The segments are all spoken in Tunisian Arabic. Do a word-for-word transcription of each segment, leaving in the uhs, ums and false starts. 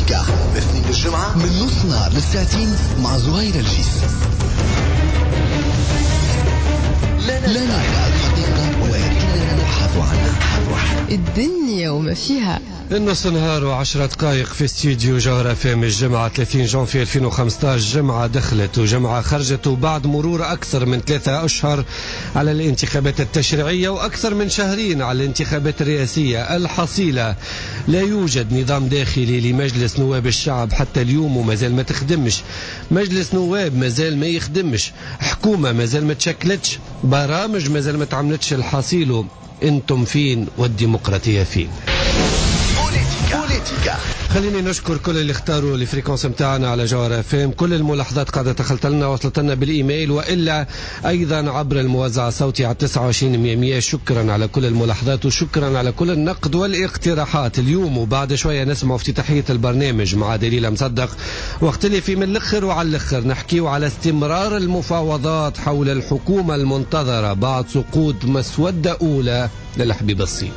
بوليتيكا الاثنين للجمعة من نص نهار للساعتين مع زهير الجيس. لا ندعي الحقيقة ولكننا نبحث عنها. الدنيا وما فيها. النص نهار وعشرة دقائق في استديو جوهرة اف ام. الجمعة ثلاثين جانفي ألفين وخمسة عشر، جمعة دخلت وجمعة خرجت، وبعد مرور أكثر من ثلاثة أشهر على الانتخابات التشريعية وأكثر من شهرين على الانتخابات الرئاسية، الحصيلة لا يوجد نظام داخلي لمجلس نواب الشعب حتى اليوم، ومازال ما تخدمش مجلس نواب، مازال ما يخدمش حكومة، مازال ما تشكلتش برامج، مازال ما تعملتش. الحصيلة انتم فين والديمقراطية فين؟ بوليتيكا. خليني نشكر كل اللي اختاروا ال fréquence نتاعنا على جوهرة اف ام. كل الملاحظات قاعدة دخلت لنا وصلت لنا بالايميل والا ايضا عبر الموزع الصوتي على تسعة وعشرين مية. شكرا على كل الملاحظات وشكرا على كل النقد والاقتراحات. اليوم وبعد شوية نسمع افتتاحيه البرنامج مع دليل مصدق، وقت اللي في من الاخر وعلى الاخر نحكيو على استمرار المفاوضات حول الحكومة المنتظره بعد سقوط مسودة اولى للحبيب الصيد.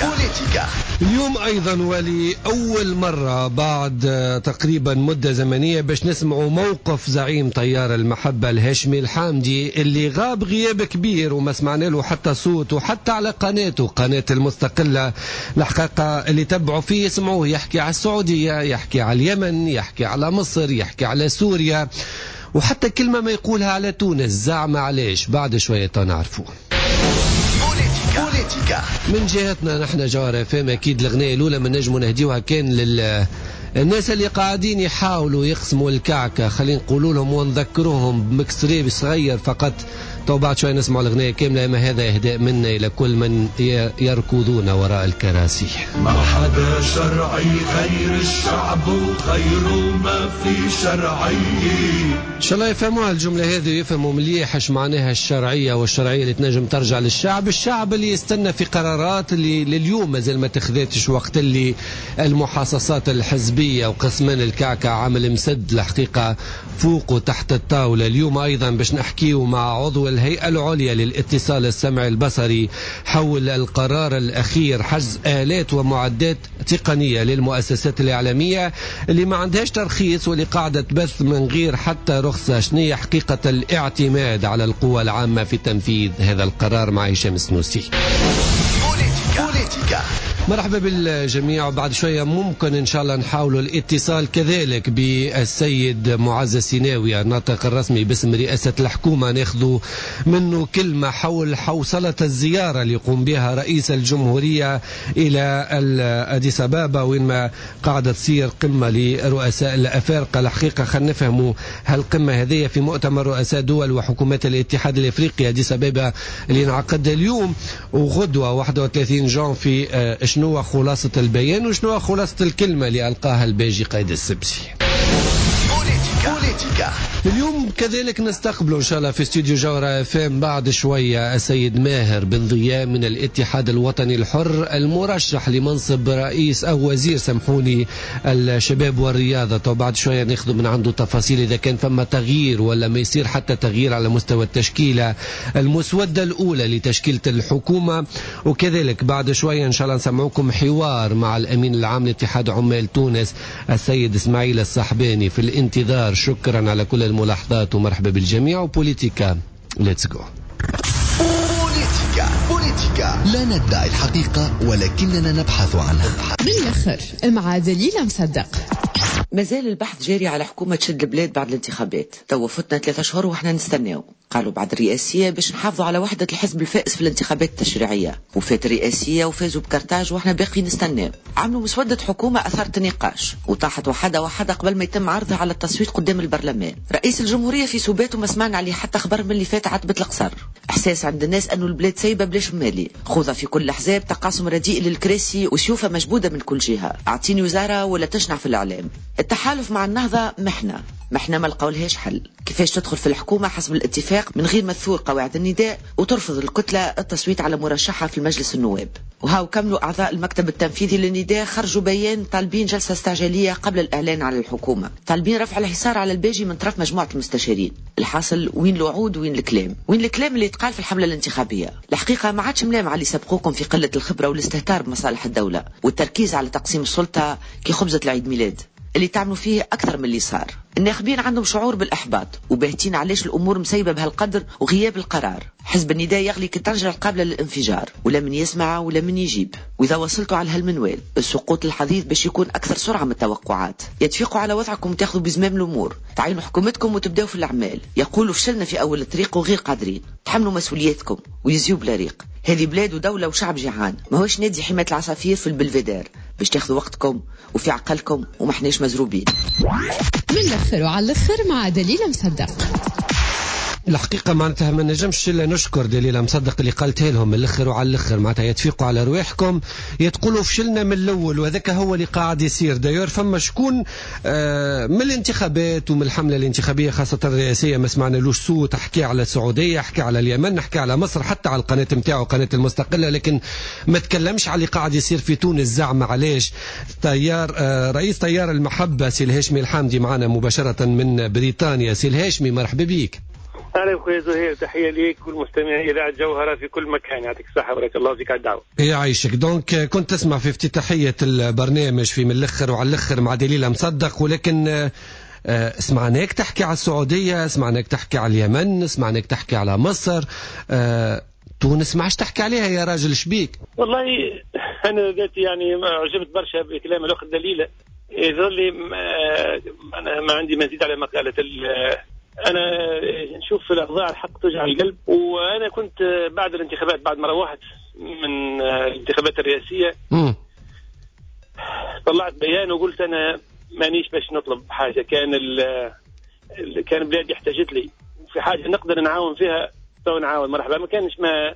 بوليتيكا. اليوم أيضا ولأول مرة بعد تقريبا مدة زمنية باش نسمعوا موقف زعيم تيار المحبة الهاشمي الحامدي اللي غاب غياب كبير وما سمعنا له حتى صوت، وحتى على قناته قناة المستقلة. الحقيقة اللي تبعوا فيه يسمعوه يحكي على السعودية، يحكي على اليمن، يحكي على مصر، يحكي على سوريا، وحتى كلمة ما يقولها على تونس. زعما علاش؟ بعد شوية نعرفوه. بوليتيكا. من جهتنا نحن جوهرة اف ام اكيد الغنايه الاولى من نجموا نهديوها كان لل الناس اللي قاعدين يحاولوا يقسموا الكعكه، خلينا نقولوا لهم ونذكروهم بمكسريب صغير فقط. تو بعد شوية نسمعوا الاغنية كاملة، اما هذا اهداء منا الى كل من يركضون وراء الكراسي. ما حدا شرعي غير الشعب وغيره ما في شرعي. ان شاء الله يفهموها الجملة هذه ويفهموا مليح اش معناها الشرعية، والشرعية اللي تنجم ترجع للشعب، الشعب اللي يستنى في قرارات اللي لليوم مازال ما تخذتش، وقت اللي المحاصصات الحزبية وقسمان الكعكه عامل مسد الحقيقة فوق وتحت الطاولة. اليوم ايضا باش نحكيو مع عضو الهيئة العليا للاتصال السمعي البصري حول القرار الأخير حجز آلات ومعدات تقنية للمؤسسات الإعلامية اللي ما عندهاش ترخيص واللي قاعدة تبث من غير حتى رخصة. شنية حقيقة الاعتماد على القوى العامة في تنفيذ هذا القرار؟ مع هشام السنوسي. بوليتيكا. مرحبا بالجميع، وبعد شوية ممكن إن شاء الله نحاولوا الاتصال كذلك بالسيد معز السيناوي الناطق الرسمي باسم رئاسة الحكومة، ناخذ منه كلمة حول حوصلة الزيارة اللي يقوم بها رئيس الجمهورية إلى أديس أبابا وين ما قاعدة تصير قمة لرؤساء الأفارقة. الحقيقة خلينا نفهموا هالقمة هذه في مؤتمر رؤساء دول وحكومات الاتحاد الإفريقي أديس أبابا اللي انعقد اليوم وغدوة واحد وثلاثين جانفي. شنو خلاصة البيان وشنو خلاصة الكلمة اللي ألقاها الباجي قايد السبسي؟ بوليتيكا. اليوم كذلك نستقبل إن شاء الله في استوديو جوهرة اف ام بعد شوية السيد ماهر بن ضياء من الاتحاد الوطني الحر المرشح لمنصب رئيس أو وزير سامحوني الشباب والرياضة. وبعد شوية ناخذ من عنده تفاصيل إذا كان فما تغيير ولا ما يصير حتى تغيير على مستوى التشكيلة المسودة الأولى لتشكيلة الحكومة. وكذلك بعد شوية إن شاء الله نسمعكم حوار مع الأمين العام لاتحاد عمال تونس السيد إسماعيل الصحباني. في الانتظار. شكرا على كل الملاحظات ومرحبا بالجميع. وبوليتيكا let's go. بوليتيكا. بوليتيكا. لا ندعي الحقيقة ولكننا نبحث عنها. بالآخر مع دليل مصدق. مازال البحث جاري على حكومة تشد البلاد بعد الانتخابات. تو فتنا ثلاثة شهور واحنا نستناو. قالوا بعد الرئاسية باش نحافظوا على وحدة الحزب الفائز في الانتخابات التشريعية، وفات الرئاسية وفازوا بكرتاج واحنا باقي نستناو. عملوا مسودة حكومة أثارت النقاش وطاحت وحدة وحدة قبل ما يتم عرضها على التصويت قدام البرلمان. رئيس الجمهورية في سباته ما سمعنا عليه حتى خبر من اللي فات عتبة القصر. إحساس عند الناس أنه البلاد سايبة بلاش مالي، خوضة في كل الأحزاب، تقاسم رديء للكراسي وسيوفة مجبودة من كل جهة. أعطيني وزارة ولا تشنع في الإعلام. التحالف مع النهضة محنة محنة ما لقاولهاش حل. كيفاش تدخل في الحكومة حسب الاتفاق من غير ما تثور قواعد النداء وترفض الكتلة التصويت على مرشحها في المجلس النواب؟ وهاو كملوا أعضاء المكتب التنفيذي للنداء خرجوا بيان طالبين جلسة استعجالية قبل الإعلان على الحكومة، طالبين رفع الحصار على الباجي من طرف مجموعة المستشارين. الحاصل وين الوعود وين الكلام؟ وين الكلام اللي يتقال في الحملة الانتخابية؟ الحقيقة ما عادش ملام على اللي سبقوكم في قلة الخبرة والاستهتار بمصالح الدولة والتركيز على تقسيم السلطة كي خبزة العيد ميلاد اللي تعملوا فيه أكثر من اللي صار. الناخبين عندهم شعور بالإحباط وباهتين علاش الأمور مسيبة بهالقدر وغياب القرار. حزب النداء يغلي كالطنجرة القابلة للانفجار، ولا من يسمع ولا من يجيب. وإذا وصلتوا على هالمنوال السقوط الحديث باش يكون أكثر سرعة من التوقعات. يتفيقوا على وضعكم وتاخذوا بزمام الأمور، تعينوا حكومتكم وتبداوا في الأعمال. يقولوا فشلنا في أول الطريق وغير قادرين، تحملوا مسؤولياتكم ويزيوا بلا ريق. هذه بلاد ودولة وشعب جيعان، ماهوش نادي حماية العصافير في البلفيدير باش تاخذوا وقتكم وفي عقلكم وما احناش مزروبين. من الأخر وعلى الأخر مع دليلة مصدق. الحقيقة معناتها ما نجمش إلا نشكر دليلة مصدق اللي قالتها لهم من الأخر وعلى الأخر، معناتها يتفيقوا على رواحكم، يتقولوا فشلنا من الأول، وهذاك هو اللي قاعد يصير. d'ailleurs فما شكون آه من الانتخابات ومن الحملة الانتخابية خاصة الرئاسية ما سمعنالوش صوت، حكي على السعودية، حكي على اليمن، حكي على مصر، حتى على القناة نتاعو قناة المستقلة، لكن ما تكلمش على اللي قاعد يصير في تونس. زعما علاش؟ تيار آه رئيس تيار المحبة سي الهاشمي الحامدي معنا مباشرة من بريطانيا. سي الهاشمي مرحبا بك. أهلا خويا زهير، تحية ليك والمستمعين إذاعة جوهرة في كل مكان، يعطيك الصحة بارك الله فيك على الدعوة. يعيشك. donc كنت تسمع في افتتاحية البرنامج في من الأخر وعلى الأخر مع دليلة مصدق، ولكن سمعناك تحكي على السعودية، سمعناك تحكي على اليمن، سمعناك تحكي على مصر، تونس ما عادش تحكي عليها يا راجل، شبيك؟ والله أنا ذاتي يعني عجبت برشا بكلام الأخت دليلة، يظل لي أنا ما عندي مزيد على ما قالت. أنا نشوف في الأوضاع الحق توجع القلب. وأنا كنت بعد الانتخابات، بعد ما روحت من الانتخابات الرئاسية م. طلعت بيان وقلت أنا مانيش باش نطلب حاجة، كان ال كان بلادي احتاجت لي في حاجة نقدر نعاون فيها تو نعاون، مرحبا. ما كانش ما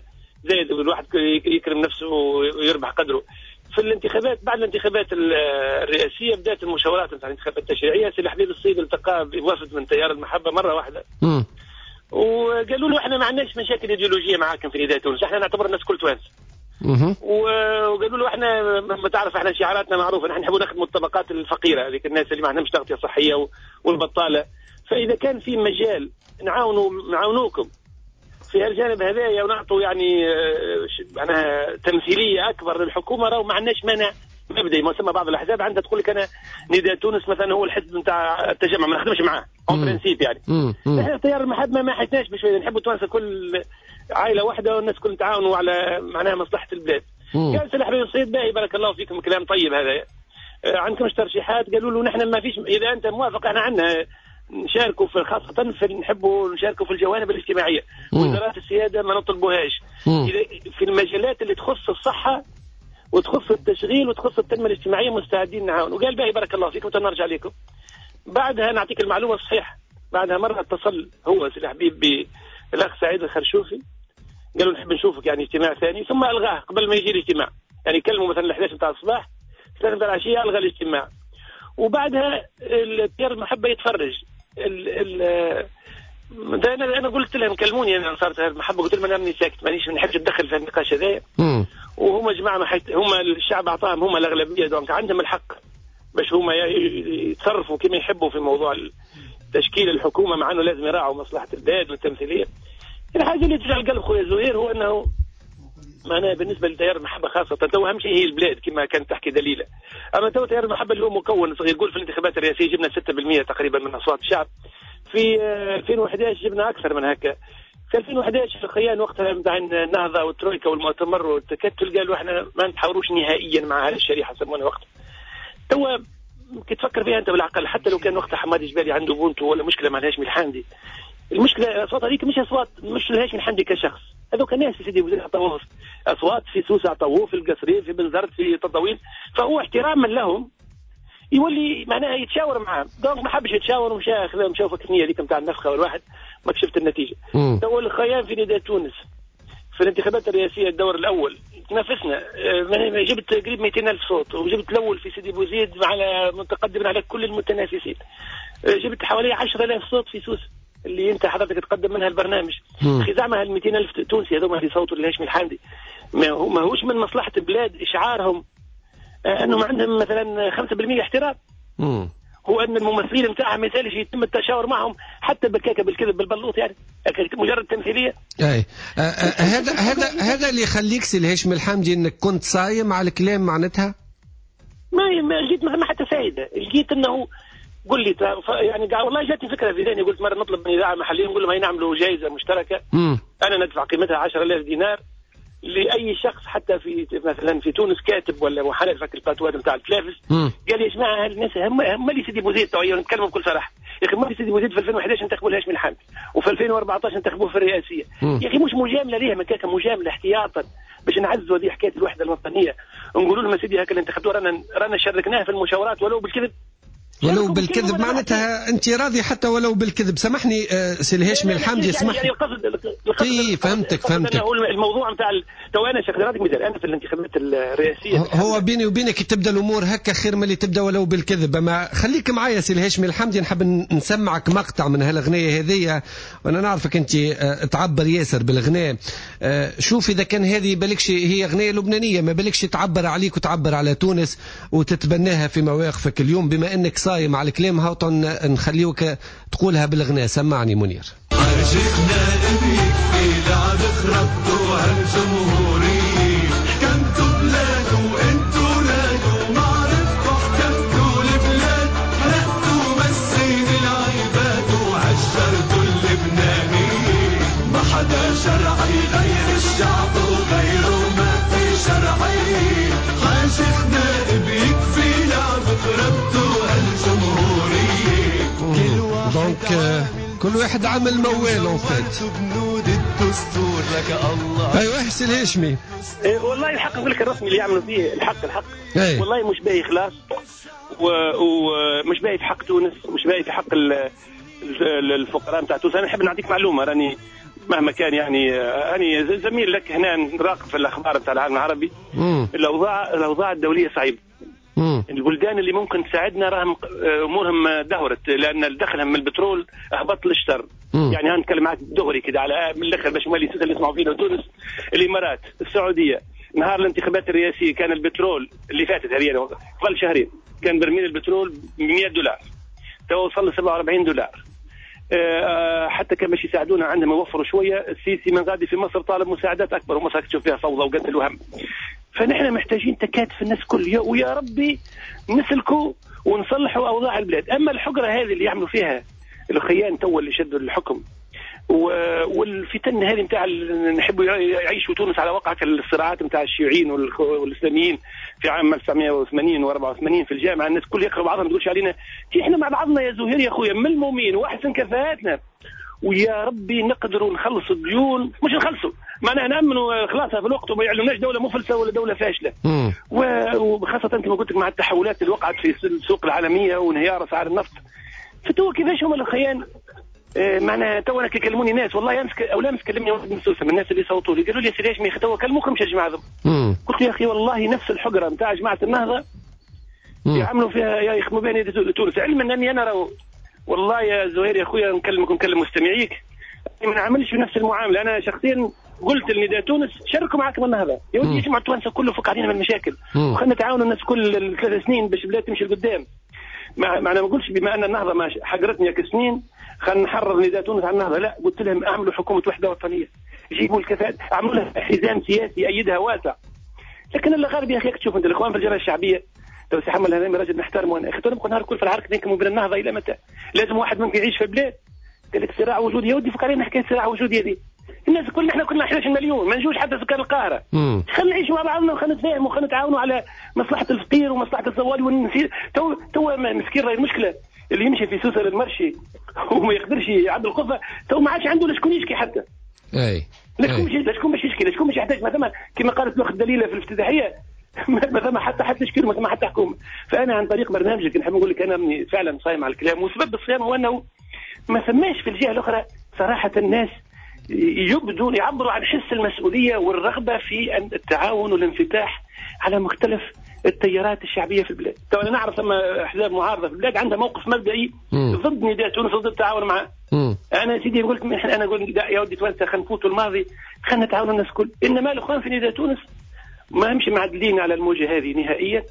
زايد الواحد يكرم نفسه ويربح قدره. في الانتخابات بعد الانتخابات الرئاسية بدأت المشاورات نتاع الانتخابات التشريعية. سي الحبيب الصيد التقى بوفد من تيار المحبة مرة واحدة، م. وقالوا له احنا ما عندناش مشاكل ايديولوجية معاكم في نداء تونس، احنا نعتبر الناس كل توانسة. وقالوا له احنا ما تعرف احنا شعاراتنا معروفة، نحن نحبوا نخدموا الطبقات الفقيرة، هذيك الناس اللي ما عندهمش تغطية صحية والبطالة، فإذا كان في مجال نعاونوا نعاونوكم في هالجانب هذايا ونعطوا يعني معناها تمثيلية اكبر للحكومة، راهو ما عندناش مانع مبدئي. ما سمى بعض الاحزاب عندها تقول لك انا نداء تونس مثلا هو الحزب نتاع التجمع ما نخدمش معاه en principe يعني. احنا تيار المحبة ما حسناش بشوية، نحبوا توانسة كل عائلة واحدة والناس كل نتعاونوا على معناها مصلحة البلاد. قال سي الحبيب الصيد باهي بارك الله فيكم كلام طيب هذا، عندكمش ترشيحات؟ قالوا له نحن ما فيش، اذا انت موافق احنا عندنا نشاركوا في خاصة في نحبوا نشاركوا في الجوانب الاجتماعية، وزارات السيادة ما نطلبوهاش، في المجالات اللي تخص الصحة وتخص التشغيل وتخص التنمية الاجتماعية مستعدين نعاون. وقال باهي بارك الله فيكم نرجع لكم. بعدها نعطيك المعلومة الصحيحة، بعدها مرة اتصل هو سي الحبيب بالأخ سعيد الخرشوفي، قالوا نحب نشوفك يعني اجتماع ثاني، ثم ألغاه قبل ما يجي الاجتماع، يعني كلموا مثلا الأحد عشر نتاع الصباح، ثلاثة نتاع العشية ألغى الاجتماع. وبعدها التيار المحبة يتفرج ال ال انا انا قلت لهم كلموني انا صارت المحبة، قلت لهم انا راني ساكت مانيش ما نحبش اتدخل في النقاش هذايا، وهما جماعة ما حيت هما الشعب اعطاهم هما الاغلبية، donc عندهم الحق باش هما يتصرفوا كما يحبوا في موضوع تشكيل الحكومة، مع انه لازم يراعوا مصلحة البلاد والتمثيليه. الحاجة اللي تجعل القلب خويا زهير هو انه معناها بالنسبة لتيار المحبة خاصة تو اهم شيء هي البلاد كما كانت تحكي دليله. اما تو تيار المحبة اللي هو مكون صغير، يقول في الانتخابات الرئاسية جبنا ستة بالمئة تقريبا من اصوات الشعب، في ألفين وأحد عشر جبنا اكثر من هكا. في ألفين وأحد عشر الخيان وقتها نتاع النهضة والترويكا والمؤتمر والتكتل قالوا احنا ما نتحاوروش نهائيا مع هذه الشريحة سمونها وقتها. تو كي تفكر فيها انت بالعقل، حتى لو كان وقتها حمادي جبالي عنده بونتو ولا مشكلة مع الهاشمي الحامدي، المشكلة الاصوات هذيك مش اصوات مش الهاشمي الحامدي كشخص، هذوك الناس في سيدي بوزيد عطاوه اصوات، في سوسة عطاوه، في القصرين، في بنزرت، في تطاوين، فهو احتراما لهم يولي معناها يتشاور معاهم. donc ما حبش يتشاور ومشى خذا مشاو في الثنية هذيك نتاع النفخة والواحد ما كشفت النتيجة. تو الخيام في نداء تونس في الانتخابات الرئاسية الدور الاول تنافسنا، جبت قريب مئتين ألف صوت، وجبت الاول في سيدي بوزيد على متقدم على كل المتنافسين، جبت حوالي عشرة آلاف صوت في سوسة اللي انت حضرتك تقدم منها البرنامج. اخي زعما هال مئتين ألف تونسي هذوما اللي صوتوا للهاشمي الحامدي ما هو ما هوش من مصلحة البلاد اشعارهم انهم عندهم مثلا خمسة بالمئة احترام. مم. هو ان الممثلين نتاعهم ما يسالش يتم التشاور معهم حتى بكاكه بالكذب بالبلوط، يعني مجرد تمثيلية. اي هذا هذا هذا اللي يخليك سي الهاشمي الحامدي انك كنت صايم على الكلام معناتها؟ ما ما لقيت ما حتى فائدة، لقيت انه قل لي يعني والله جاتني فكرة في ذهني، قلت مرة نطلب من اذاعة محليه نقول لهم هاي نعملوا جائزة مشتركة. مم. انا ندفع قيمتها عشرة آلاف دينار لاي شخص حتى في مثلا في تونس كاتب ولا محلل فك الباتوات نتاع التلافز. قال يا جماعة الناس هم هم اللي سيدي بوزيد تو نتكلموا بكل صراحة، يا اخي هم سيدي بوزيد في ألفين وأحد عشر انتخبوا الهاشمي الحامدي وفي ألفين وأربعة عشر انتخبوه في الرئاسية. مم. يا اخي مش مجاملة ليهم هكاك، مجاملة احتياطا باش نعزوا هذه حكاية الوحدة الوطنية، نقولوا لهم يا سيدي هكا اللي انتخبتوه رانا رانا شاركناه في المشاورات ولو بالكذب. ولو بالكذب معناتها انت راضي حتى ولو بالكذب. سامحني سي الهاشمي الحامدي، اسمح يعني القصد القصد اي فهمتك فهمتك. الموضوع نتاع تو انا شيخ نعطيك مثال، انا في الانتخابات الرئاسية هو بيني وبينك تبدا الامور هكا خير من اللي تبدا ولو بالكذب. اما خليك معايا سي الهاشمي الحامدي، نحب نسمعك مقطع من هالاغنية هذيا، وانا نعرفك انت تعبر ياسر بالاغنيه. شوف اذا كان هذه بالكش هي اغنية لبنانية، ما بالكش تعبر عليك وتعبر على تونس وتتبناها في مواقفك اليوم، بما انك صايم على الكلام هاوطن نخليوك تقولها بالغناء. سمعني منير. عرجتنا بيك في لعب خربتوا هالجمهورية، حكمتوا بلاد وانتوا ولاد وما عرفتوا حكمتوا البلاد، حرقتوا مسين العباد وعشرتوا اللبنانية، ما حدا شرعي غير الشعب وغيره ما في شرعي، حاجتنا بيك في لعب خربتوا الجمهورية. donc كل واحد عمل موال en fait. ايوه سي الهاشمي. والله الحق نقول لك الرسمي اللي يعملوا فيه الحق الحق أي. والله مش باهي خلاص، ومش باهي في حق تونس، مش باهي في حق الفقراء نتاع تونس. انا نحب نعطيك معلومة، راني مهما كان يعني أنا زميل لك هنا نراقب في الاخبار نتاع العالم العربي. مم. الاوضاع الاوضاع الدولية صعيبة. مم. البلدان اللي ممكن تساعدنا راهم امورهم دهورت، لان دخلهم من البترول هبط للشتر. يعني انا نتكلم معك دغري كده على من الاخر باش مالي اللي يسمعوا فينا. تونس، الامارات، السعودية، نهار الانتخابات الرئاسية كان البترول اللي فاتت هذه قبل شهرين كان برميل البترول مئة دولار، تو وصل ل سبعة وأربعين دولار. حتى كان باش يساعدونا عندهم يوفروا شوية. السيسي من غادي في مصر طالب مساعدات اكبر، ومصر تشوف فيها فوضى وقتل وهم. فنحن محتاجين تكاتف الناس كل، ويا ربي نسلكوا ونصلحوا اوضاع البلاد. اما الحقره هذه اللي يعملوا فيها الخيان تو اللي شدوا الحكم والفتن هذه نتاع نحبوا يعيشوا تونس على وقعة الصراعات نتاع الشيوعيين والاسلاميين في عام ألف وتسعمئة وثمانين وأربعة وثمانين في الجامعة، الناس كل يقروا بعضهم، ما تقولش علينا كي احنا مع بعضنا يا زهير يا خويا ملمومين واحسن كفاءاتنا، ويا ربي نقدروا نخلصوا الديون، مش نخلصوا معناها نامنوا خلاصها في الوقت وما يعلنوناش دولة مفلسه ولا دولة فاشلة. وخاصة كما قلت لك مع التحولات اللي وقعت في السوق العالمية وانهيار اسعار النفط. فتو كيفاش هما الخيان معناها تو انا كيكلموني ناس والله امس او امس كلمني واحد من سوسة من الناس اللي صوتوا لي، قالوا لي يا سيدي هاشمي تو كلموكم يا جماعة. قلت يا اخي والله نفس الحقره نتاع جماعة النهضة يعملوا فيها يا يخدموا بها تونس، علما اني انا راهو والله يا زهير يا خويا نكلمك ونكلم مستمعيك ما نعملش بنفس المعاملة. انا شخصيا قلت لنداء تونس شاركوا معاكم النهضة يا ودي، يجمعوا التوانسة كله فك علينا من المشاكل وخلينا نتعاونوا الناس كل الثلاث سنين باش البلاد تمشي لقدام. معناها ما نقولش بما ان النهضة ما حقرتني ياك سنين خلينا نحرر نداء تونس على النهضة، لا قلت لهم اعملوا حكومة وحده وطنية، جيبوا الكفاءات، اعملوا لها حزام سياسي ايدها واسع. لكن الغرب يا اخي تشوف انت الاخوان في الجبهة الشعبية تو سي حمل هذا راجل نحترمه انا، اخي نبقوا نهار الكل في العرك بينكم وبين النهضة الى متى؟ لازم واحد منكم يعيش في البلاد. قال لك صراع وجودي يا ودي فك علينا حكاية صراع وجودي هذه. الناس كلنا احنا كنا أحد عشر مليون ما نجوش حتى سكان القاهرة. خلينا نعيشوا مع بعضنا وخلينا نتفاهموا وخلينا نتعاونوا على مصلحة الفقير ومصلحه الزوال والنسير. تو تو مسكين راهي المشكلة اللي يمشي في سوسة للمرشي وما يقدرش يعدل القفه تو ما عادش عنده لشكون يشكي حتى. اي لشكون باش يشكي، لشكون باش يحتاج. ما ثم كما قالت الاخت دليله في الافتتاحيه ما ثم حتى حتى تشكيل، ما ثم حتى حكومة. فانا عن طريق برنامجك نحب نقول لك انا فعلا صايم على الكلام، وسبب الصيام هو انه ما ثماش في الجهة الاخرى صراحة الناس يبدون يعبروا عن حس المسؤولية والرغبة في التعاون والانفتاح على مختلف التيارات الشعبية في البلاد. تو أنا نعرف ثم أحزاب معارضة في البلاد عندها موقف مبدئي ضد نداء تونس، ضد التعاون معه. أنا سيدي قلت أنا قلت يا ودي توانسة خلينا نفوتوا الماضي، خلينا نتعاونوا الناس الكل. إنما الإخوان في نداء تونس ما همش معدلين على الموجة هذه نهائيا،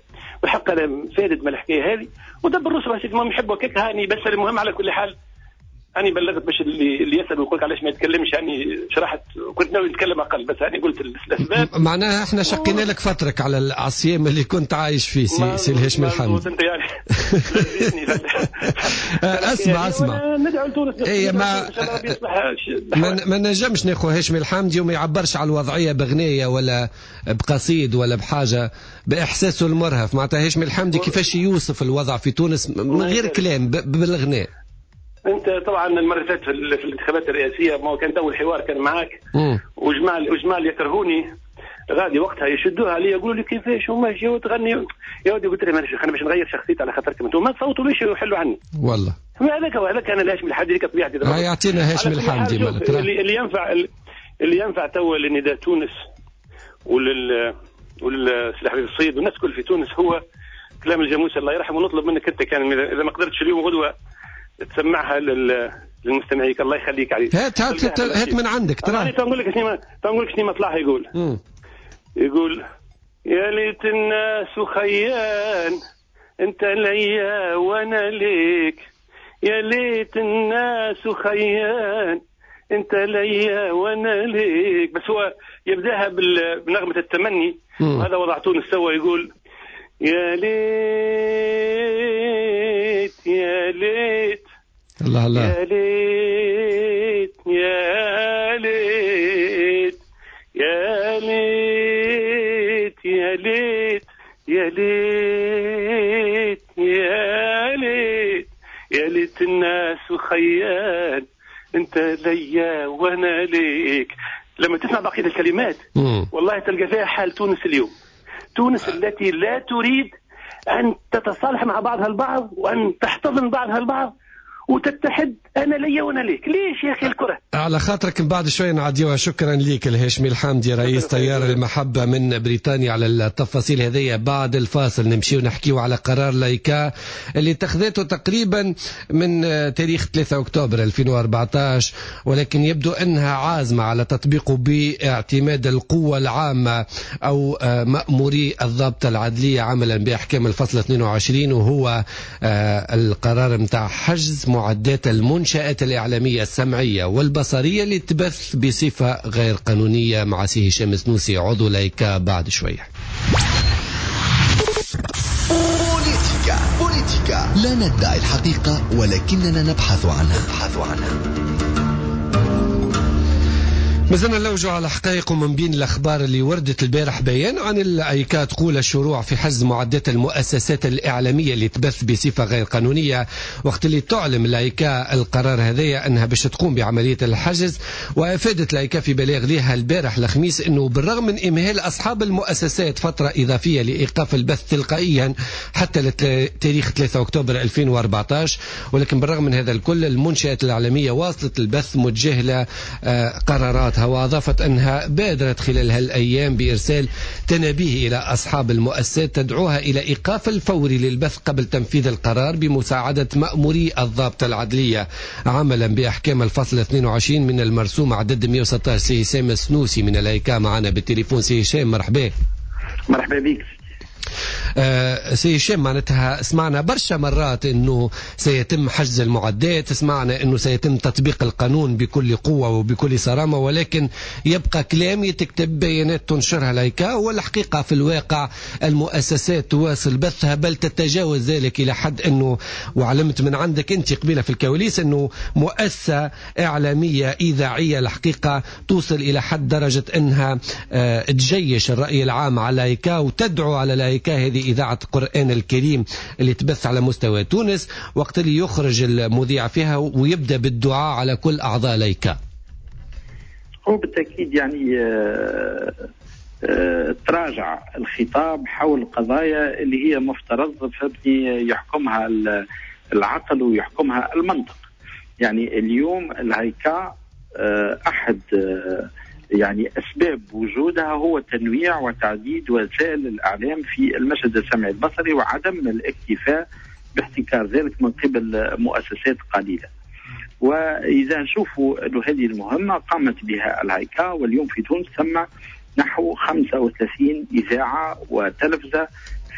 والحق أنا فادد من الحكاية هذه ودبر رسمه سيدي ما يحبوا هكاك هاني. بس المهم على كل حال أنا بلغت باش اللي اللي يسأل ويقول لك علاش ما يتكلمش، يعني شرحت، كنت ناوي نتكلم أقل بس أنا قلت الأسباب. معناها احنا شقينا لك فترك على العصيام اللي كنت عايش فيه سي, سي الهاشمي الحامدي. أنت يعني اسمع اسمع ندعو لتونس. إيه ما ما نجمش ناخذ هاشمي الحامدي وما يعبرش على الوضعية بغنية ولا بقصيد ولا بحاجة، بإحساسه المرهف. معناتها هاشمي الحامدي كيفاش يوصف الوضع في تونس من غير كلام بالغناء؟ انت طبعا المرة اللي فاتت في الانتخابات الرئاسية ما كان اول حوار كان معاك، وجماعه وجماعه اللي يكرهوني غادي وقتها يشدوها علي يقولوا لي كيفاش هما جاوا تغني يا ودي. قلت لهم انا باش نغير شخصيتي على خاطركم انتم، ما تصوتوليش ويحلوا عني. والله هذاك هو هذاك انا الهاشمي الحامدي هذيك طبيعتي. يعطينا هاشمي الحامدي اللي, اللي ينفع اللي ينفع توا لنداء تونس ولل وللسي حبيب الصيد والناس كل في تونس هو كلام الجاموس الله يرحمه. ونطلب منك انت كان اذا ما قدرتش اليوم غدوه تسمعها للمستمعين الله يخليك عليك. هات هات هات من عندك ترى. انا تنقول لك شنو تنقول لك شنو ما طلع يقول. مم. يقول يا ليت الناس خيان انت ليا وانا ليك، يا ليت الناس خيان انت ليا وانا ليك. بس هو يبداها بنغمة التمني، وهذا وضع تونس سوا. يقول يا ليت يا ليت الله الله يا ليت يا ليت يا ليت يا ليت يا ليت يا ليت يا ليت الناس خيان انت ليا وانا ليك. لما تسمع بقية الكلمات مم. والله تلقى فيها حال تونس اليوم، تونس التي لا تريد أن تتصالح مع بعضها البعض وأن تحتضن بعضها البعض وتتحد أنا لي وأنا ليك. ليش يا أخي الكرة؟ على خاطرك من بعد شوي نعديوها. شكرا ليك الهاشمي الحامدي رئيس تيار المحبة من بريطانيا على التفاصيل هذه. بعد الفاصل نمشيو نحكيو على قرار لايكا اللي اتخذته تقريبا من تاريخ ثلاثة أكتوبر ألفين وأربعة عشر، ولكن يبدو أنها عازمة على تطبيقه باعتماد القوة العامة أو مأموري الضابطة العدلية عملا بأحكام الفصل اثنين وعشرين، وهو القرار متاع حجز معدات المنشآت الإعلامية السمعية والبصرية اللي تبث بصفة غير قانونية. مع سي هشام سنوسي عضو لايكا بعد شوية. بوليتيكا بوليتيكا لا ندعي الحقيقة ولكننا نبحث عنها نبحث عنها. مازلنا نلوجوا على حقائق، ومن بين الأخبار اللي وردت البارح بيان عن الأيكا تقول الشروع في حجز معدات المؤسسات الإعلامية اللي تبث بصفة غير قانونية، وقت اللي تعلم الأيكا القرار هذايا أنها باش تقوم بعملية الحجز. وأفادت الأيكا في بلاغ لها البارح الخميس أنه بالرغم من إمهال أصحاب المؤسسات فترة إضافية لإيقاف البث تلقائيا حتى تاريخ ثلاثة أكتوبر ألفين وأربعة عشر، ولكن بالرغم من هذا الكل المنشآت الإعلامية واصلت البث متجاهلة قراراتها. وأضافت أنها بادرت خلال هالأيام بإرسال تنابيه إلى أصحاب المؤسسات تدعوها إلى إيقاف الفوري للبث قبل تنفيذ القرار بمساعدة مأموري الضابطة العدلية عملا بأحكام الفصل اثنين وعشرين من المرسوم عدد مئة وستة عشر. سي هشام السنوسي من الأيكا معنا بالتليفون. سي هشام مرحبا. مرحبا بك. آه سي هشام، معناتها سمعنا برشا مرات انه سيتم حجز المعدات، سمعنا انه سيتم تطبيق القانون بكل قوة وبكل صرامة، ولكن يبقى كلام يتكتب بيانات تنشرها لايكا، والحقيقة في الواقع المؤسسات تواصل بثها بل تتجاوز ذلك الى حد انه، وعلمت من عندك انت قبيلة في الكواليس انه مؤسسة اعلامية اذاعية الحقيقة توصل الى حد درجة انها آه تجيش الرأي العام على لايكا وتدعو على لايكا، هذه إذاعة القرآن الكريم اللي تبث على مستوى تونس، وقت اللي يخرج المذيع فيها ويبدأ بالدعاء على كل أعضاء لايكا. هو بالتأكيد يعني آه آه تراجع الخطاب حول القضايا اللي هي مفترض فهمتني يحكمها العقل ويحكمها المنطق. يعني اليوم الهيكا أحد يعني أسباب وجودها هو تنويع وتعديد وسائل الإعلام في المشهد السمعي البصري وعدم الاكتفاء باحتكار ذلك من قبل مؤسسات قليلة. وإذا نشوفوا أن هذه المهمة قامت بها الهايكا، واليوم في تونس ثم نحو خمسة وثلاثين إذاعة وتلفزة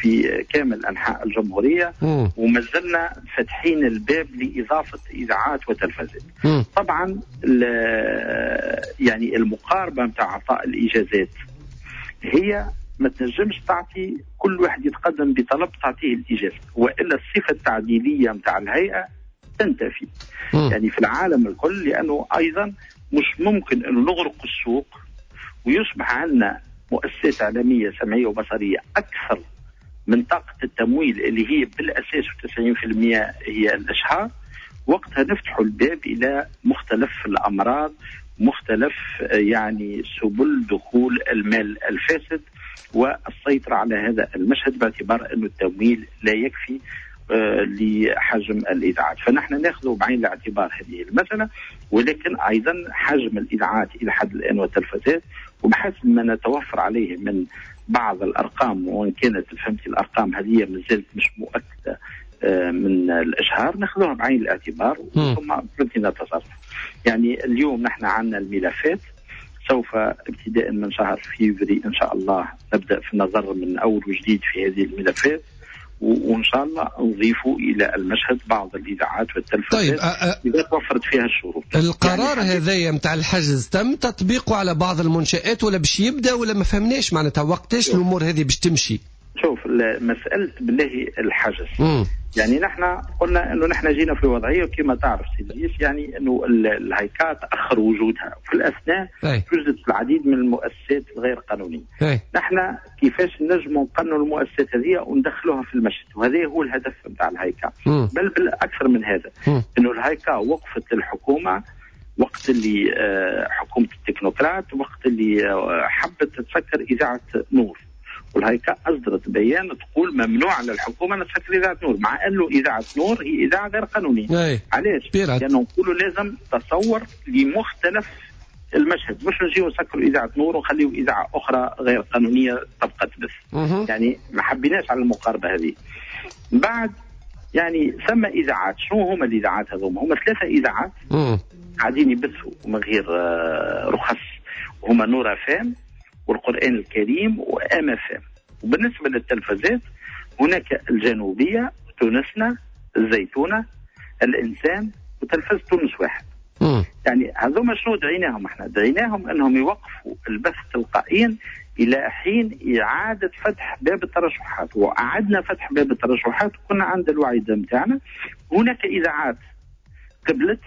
في كامل أنحاء الجمهورية، وما زلنا فاتحين الباب لإضافة إذاعات وتلفزات. طبعا يعني المقاربة متاع عطاء الإجازات هي ما تنجمش تعطي كل واحد يتقدم بطلب تعطيه الإجازة، وإلا الصفة التعديلية متاع الهيئة تنتفي. مم. يعني في العالم الكل، لأنه أيضا مش ممكن أنه نغرق السوق ويصبح عندنا مؤسسات إعلامية سمعية وبصرية أكثر من طاقة التمويل اللي هي بالأساس تسعين بالمئة هي الإشهار. وقتها نفتح الباب إلى مختلف الأمراض، مختلف يعني سبل دخول المال الفاسد والسيطرة على هذا المشهد، باعتبار أن التمويل لا يكفي لحجم الإذاعات. فنحن ناخذ بعين الاعتبار هذه المسألة، ولكن أيضا حجم الإذاعات إلى حد الآن والتلفزات، وبحسب ما نتوفر عليه من بعض الأرقام، وإن كانت فهمت الأرقام هذه ما زالت مش مؤكدة من الإشهار، ناخذوها بعين الاعتبار ثم نتصرف. يعني اليوم نحن عندنا الملفات، سوف ابتداء من شهر فيفري إن شاء الله نبدأ في النظر من أول وجديد في هذه الملفات، وإن شاء الله نضيف إلى المشهد بعض الإذاعات والتلفزات. طيب أ... إذا توفرت فيها الشروط. القرار يعني هذايا متاع الحجز تم تطبيقه على بعض المنشآت ولا باش يبدأ ولا ما فهمناش معناتها وقتاش الأمور هذه باش تمشي؟ شوف مسألة بالله الحجز. مم. يعني نحن قلنا انه نحن جينا في وضعية كما تعرف سيدي، يعني انه الهيكات تاخر وجودها، وفي الاثناء توجدت العديد من المؤسسات الغير قانونية. أي. نحن كيفاش نجموا نقنوا المؤسسات هذه وندخلوها في المشهد، وهذا هو الهدف نتاع الهيكا. بل بالاكثر من هذا، انه الهيكا وقفت للحكومة وقت اللي حكومة التكنوقراط، وقت اللي حبت تسكر اذاعة نور، والهيكا أصدرت بيان تقول ممنوع على الحكومة أن تسكر إذاعة نور، مع أنه إذاعة نور هي إذاعة غير قانونية. علاش؟ لأنه نقولوا لازم تصور لمختلف المشهد، مش نجيو نسكروا إذاعة نور ونخليو إذاعة أخرى غير قانونية تبقى تبث. يعني ما حبيناش على المقاربة هذه. بعد يعني ثم إذاعات، شنو هما الإذاعات هذوما؟ هما ثلاثة إذاعات قاعدين يبثوا من غير رخص، وهما نور أف أم والقرآن الكريم وأم أف أم. وبالنسبة للتلفزات هناك الجنوبية، تونسنا، الزيتونة، الإنسان، وتلفز تونس واحد. م. يعني هذوما شنو دعيناهم؟ احنا دعيناهم انهم يوقفوا البث تلقائيا الى حين اعادة فتح باب الترشحات، وأعدنا فتح باب الترشحات وكنا عند الوعي نتاعنا. هناك إذاعات قبلت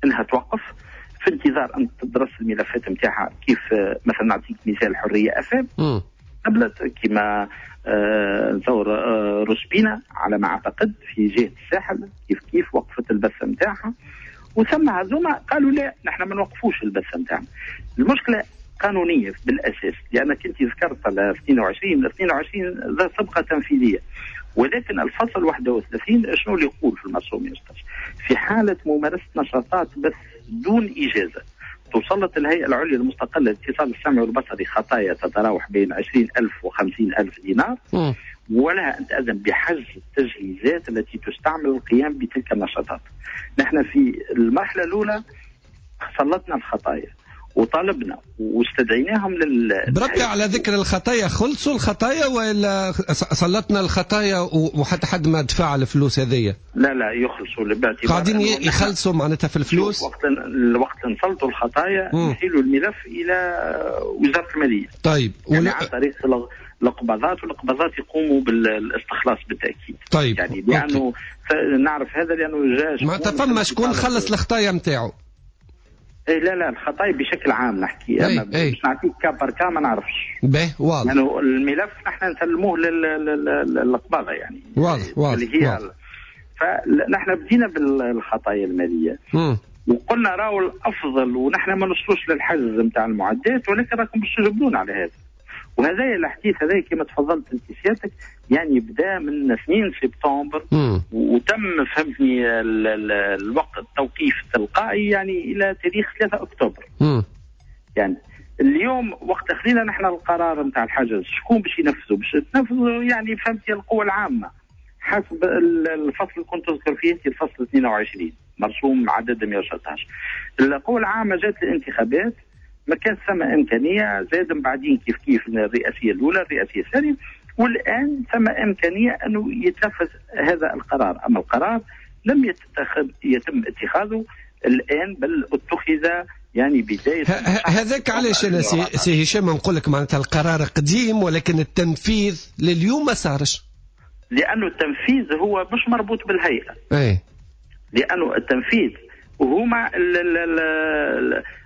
انها توقف في انتظار ان تدرس الملفات نتاعها، كيف مثلا نعطيك مثال حرية أف أم قبلت، كما نتصور آه روسبينا على ما اعتقد في جهة الساحل كيف كيف وقفت البث نتاعها، وثم هذوما قالوا لا نحن ما نوقفوش البث نتاعنا. المشكلة قانونية بالاساس، لانك انت ذكرت على اثنين وعشرين اثنين وعشرين ذا سابقه تنفيذية، ولكن الفصل واحد وثلاثين شنو اللي يقول في المرسوم مئة وستة عشر؟ في حاله ممارسة نشاطات بث دون اجازه تسلط الهيئة العليا المستقلة للاتصال السمعي والبصري خطايا تتراوح بين عشرين ألف وخمسين ألف دينار، م. ولها أن تأذن بحجز التجهيزات التي تستعمل للقيام بتلك النشاطات. نحن في المرحلة الأولى سلطنا الخطايا وطالبنا واستدعيناهم لل بربي. على ذكر الخطايا، خلصوا الخطايا ولا سلطنا الخطايا وحتى حد ما دفع الفلوس هذية؟ لا لا يخلصوا باعتبار قاعدين يخلصوا معناتها في الفلوس. وقت الوقت نسلطوا الخطايا نحيلوا الملف الى وزارة المالية. طيب يعني ولا... عن طريق القبضات، والقبضات يقوموا بالاستخلاص بالتاكيد. طيب يعني لانه نعرف هذا لانه جاء معناتها فما شكون خلص الخطايا نتاعو. إيه لا لا الخطايا بشكل عام نحكي، اما باش نعطيك cas par cas ما نعرفش. باهي واضح. يعني الملف نحن نسلموه للقباضه يعني. واضح واضح. اللي هي واضح. فنحن بدينا بالخطايا المالية. مم. وقلنا راهو الافضل ونحن ما نوصلوش للحجز نتاع المعدات، ولكن راكم باش تجبدونا على هذا. وهذا الحديث هذا كما تفضلت انت سيادتك يعني بدا من اثنين سبتمبر مم. وتم فهمتني الوقت التوقيف التلقائي يعني الى تاريخ ثلاثة اكتوبر. مم. يعني اليوم وقت خلينا نحن القرار نتاع الحجز شكون باش ينفذوا؟ باش تنفذوا يعني فهمتي القوى العامة حسب الفصل اللي كنت تذكر فيه انت، الفصل اثنين وعشرين مرسوم عدد مئة وستة عشر. القوى العامة جات الانتخابات ما كان ثم امكانية، زاد من بعدين كيف كيف الرئاسية الاولى الرئاسية الثانية، والان ثم امكانية انه يتنفذ هذا القرار. اما القرار لم يتخذ يتم اتخاذه الان، بل اتخذ يعني بداية. هذاك علاش انا سي, سي هشام نقول لك معناتها القرار قديم ولكن التنفيذ لليوم ما صارش، لانه التنفيذ هو مش مربوط بالهيئة. اي لانه التنفيذ وهما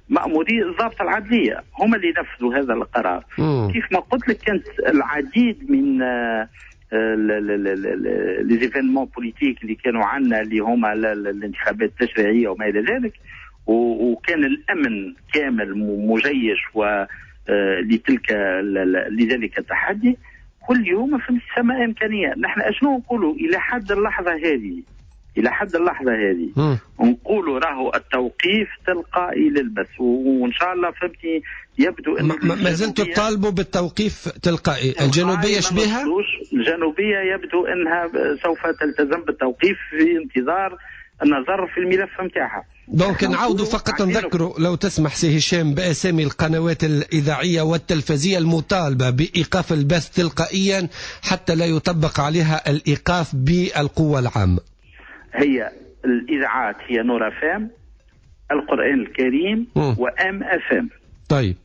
مأموري الضابطة العدلية هم اللي نفذوا هذا القرار. مم. كيف ما قلت لك كانت العديد من les événements politiques اللي كانوا عندنا اللي هما الانتخابات التشريعية وما إلى ذلك، وكان الأمن كامل مجيش و لتلك لذلك التحدي. كل يوم في السماء إمكانية. نحن أشنو نقولوا إلى حد اللحظة هذه، إلى حد اللحظة هذه نقولوا راهو التوقيف تلقائي للبث، وإن شاء الله فهمتي يبدو أن ما زلتوا تطالبوا بالتوقيف تلقائي. الجنوبية شبيها؟ الجنوبية يبدو أنها سوف تلتزم بالتوقيف في انتظار النظر في الملف نتاعها. donc نعاودوا فقط نذكروا لو تسمح سي هشام بأسامي القنوات الإذاعية والتلفزية المطالبة بإيقاف البث تلقائيا حتى لا يطبق عليها الإيقاف بالقوة العامة. هي الإذاعات هي نور أف أم، القرآن الكريم، وأم أف أم. طيب.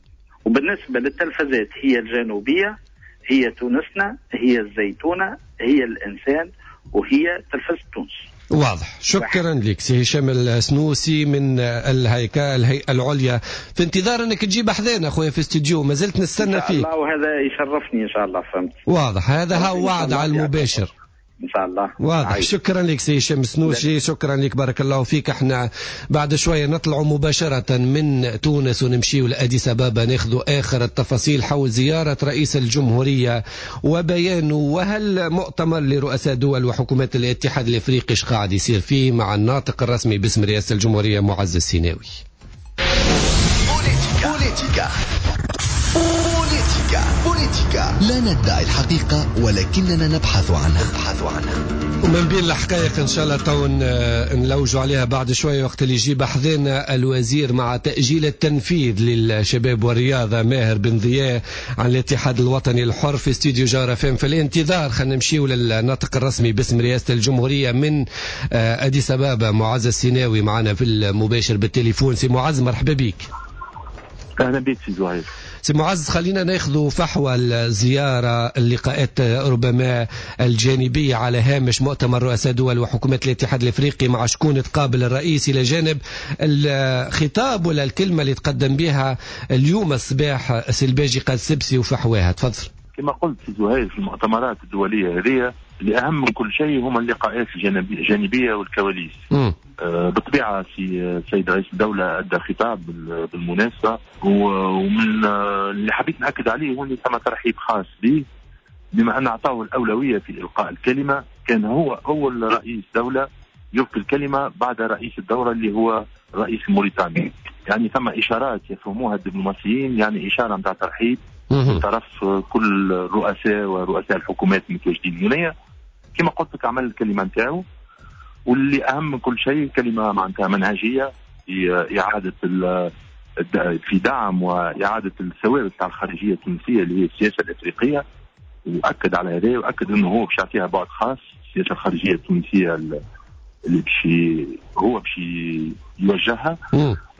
وبالنسبة للتلفزات هي الجنوبية، هي تونسنا، هي الزيتونة، هي الإنسان، وهي تلفزة تونس. واضح. شكرا لك سي هشام السنوسي من الهيئة الهيئة العليا، في انتظار انك تجيب حذانا اخويا في استوديو، ما زلت نستنى فيك. الله وهذا يشرفني ان شاء الله. فهمت. واضح، هذا هو وعد على المباشر ان شاء الله. واضح. عايز. شكرا لك سي هشام السنوسي، شكرا لك، بارك الله فيك. احنا بعد شوية نطلع مباشرة من تونس ونمشي لأديس أبابا ناخذ آخر التفاصيل حول زيارة رئيس الجمهورية وبيانه، وهل مؤتمر لرؤساء دول وحكومات الاتحاد الافريقي اش قاعد يصير فيه، مع الناطق الرسمي باسم رئاسة الجمهورية معز السيناوي. بوليتيكا بوليتيكا بوليتيكا، لا ندعي الحقيقة ولكننا نبحث عنها. نبحث عنها. ومن بين الحقائق إن شاء الله تو نلوجوا عليها بعد شوية وقت اللي يجيب حذانا الوزير مع تأجيل التنفيذ للشباب والرياضة ماهر بن ضياء عن الاتحاد الوطني الحر في استوديو جوهرة أف أم. في الانتظار خلينا نمشيو للناطق الرسمي باسم رئاسة الجمهورية من أديس أبابا معز السيناوي معنا في المباشر بالتليفون. سي معز مرحبا بك. أهلا بك سي زهير. سي معز، خلينا ناخذ فحوى الزيارة، اللقاءات ربما الجانبية على هامش مؤتمر رؤساء دول وحكومات الاتحاد الافريقي، مع شكون تقابل الرئيس، إلى جانب الخطاب ولا الكلمة اللي تقدم بها اليوم الصباح سي الباجي قاد سبسي وفحواها. تفضل. كما قلت سي زهير، في المؤتمرات الدولية هذه اللي أهم من كل شيء هما اللقاءات الجانبية والكواليس. م. بالطبيعة سي سيد رئيس الدولة أدى خطاب بالمناسبة، ومن اللي حبيت نأكد عليه هو أنه ثم ترحيب خاص به، بما أن أعطاه الأولوية في إلقاء الكلمة. كان هو أول رئيس دولة يلقي الكلمة بعد رئيس الدولة اللي هو رئيس موريتانيا. يعني ثم إشارات يفهموها الدبلوماسيين، يعني إشارة متاع ترحيب من طرف كل الرؤساء ورؤساء الحكومات المتواجدين هنا. كما قلت لك عمل الكلمة نتاعو، واللي أهم من كل شيء كلمة معناتها منهجية في إعادة في دعم وإعادة الثوابت تاع الخارجية التونسية اللي هي السياسة الإفريقية، وأكد على هذا، وأكد أنه هو باش يعطيها بعد خاص السياسة الخارجية التونسية اللي باش هو باش يوجهها.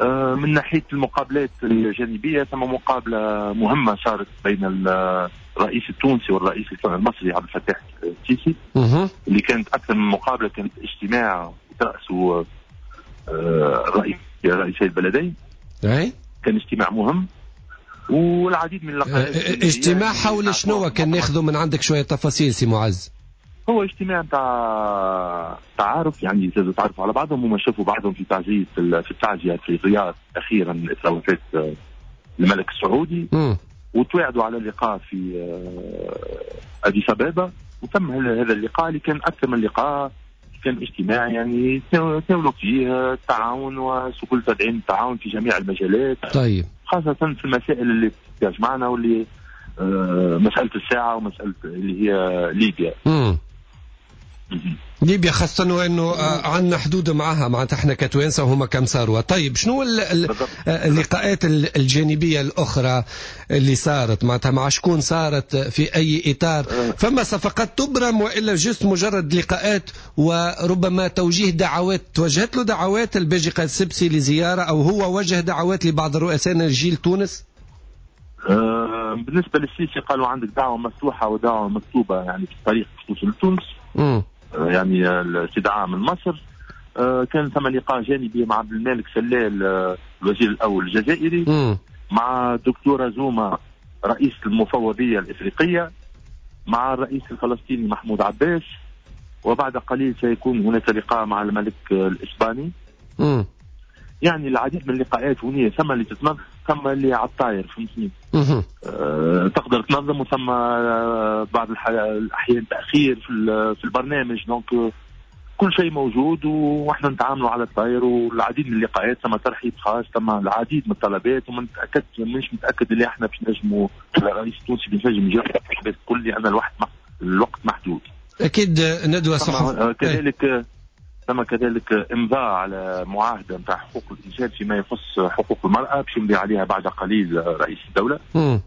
آه من ناحية المقابلات الجانبية، ثم مقابلة مهمة صارت بين الرئيس التونسي والرئيس المصري عبد الفتاح السيسي، اللي كانت أكثر من مقابلة، كانت اجتماع ترأسه الرئيس رئيسي البلدين. كان اجتماع مهم والعديد من اللقاءات. اجتماع حول شنو؟ كان ناخذ من عندك شوية تفاصيل سي معز. هو اجتماع تاع تعارف، يعني زادوا تعرفوا على بعضهم، وما شافوا بعضهم في تعزية في التعزية في الرياض أخيرا إثر وفاة الملك السعودي. م. وتواعدوا على لقاء في أديس أبابا، وتم هذا اللقاء اللي كان أكثر من لقاء، كان اجتماع يعني تناولوا فيه التعاون وسبل تدعيم التعاون في جميع المجالات. طيب. خاصة في المسائل اللي تجمعنا واللي مسألة الساعة ومسألة اللي هي ليبيا. مم. ليبيا خاصة وأنه عندنا حدود معها، معناتها احنا كتوانسة وهما كمصاروة. طيب شنو اللقاءات الجانبية الأخرى اللي صارت؟ معناتها مع شكون صارت، في أي إطار؟ فما صفقات تبرم وإلا juste مجرد لقاءات وربما توجيه دعوات؟ توجهت له دعوات الباجي قائد السبسي لزيارة، أو هو وجه دعوات لبعض الرؤساء جيل تونس؟ أه بالنسبة للسيسي قالوا عندك دعوة مفتوحة ودعوة مكتوبة يعني في الطريق توصل لتونس. مم. يعني الاستدعاء من مصر. كان ثم لقاء جانبي مع عبد المالك سلال الوزير الأول الجزائري، م. مع دكتورة زوما رئيس المفوضية الإفريقية، مع الرئيس الفلسطيني محمود عباس، وبعد قليل سيكون هناك لقاء مع الملك الإسباني. م. يعني العديد من اللقاءات هنا، ثم اللي تتنظم ثم اللي على الطاير، فهمتني؟ أه تقدر تنظم، وثم بعض الأحيان تأخير في في البرنامج. donc كل شيء موجود واحنا نتعاملوا على الطاير، والعديد من اللقاءات، ثم ترحيب خاص، ثم العديد من الطلبات، ومن تأكد مش متأكد اللي احنا باش نجموا الرئيس التونسي باش نجم يجاوب الطلبات الكل، لأن الوقت الوقت محدود. أكيد ندوة صحفية كذلك. ثم كذلك امضاء على معاهدة نتاع حقوق الانسان فيما يخص حقوق المراة باش يمضي عليها بعد قليل رئيس الدولة. امم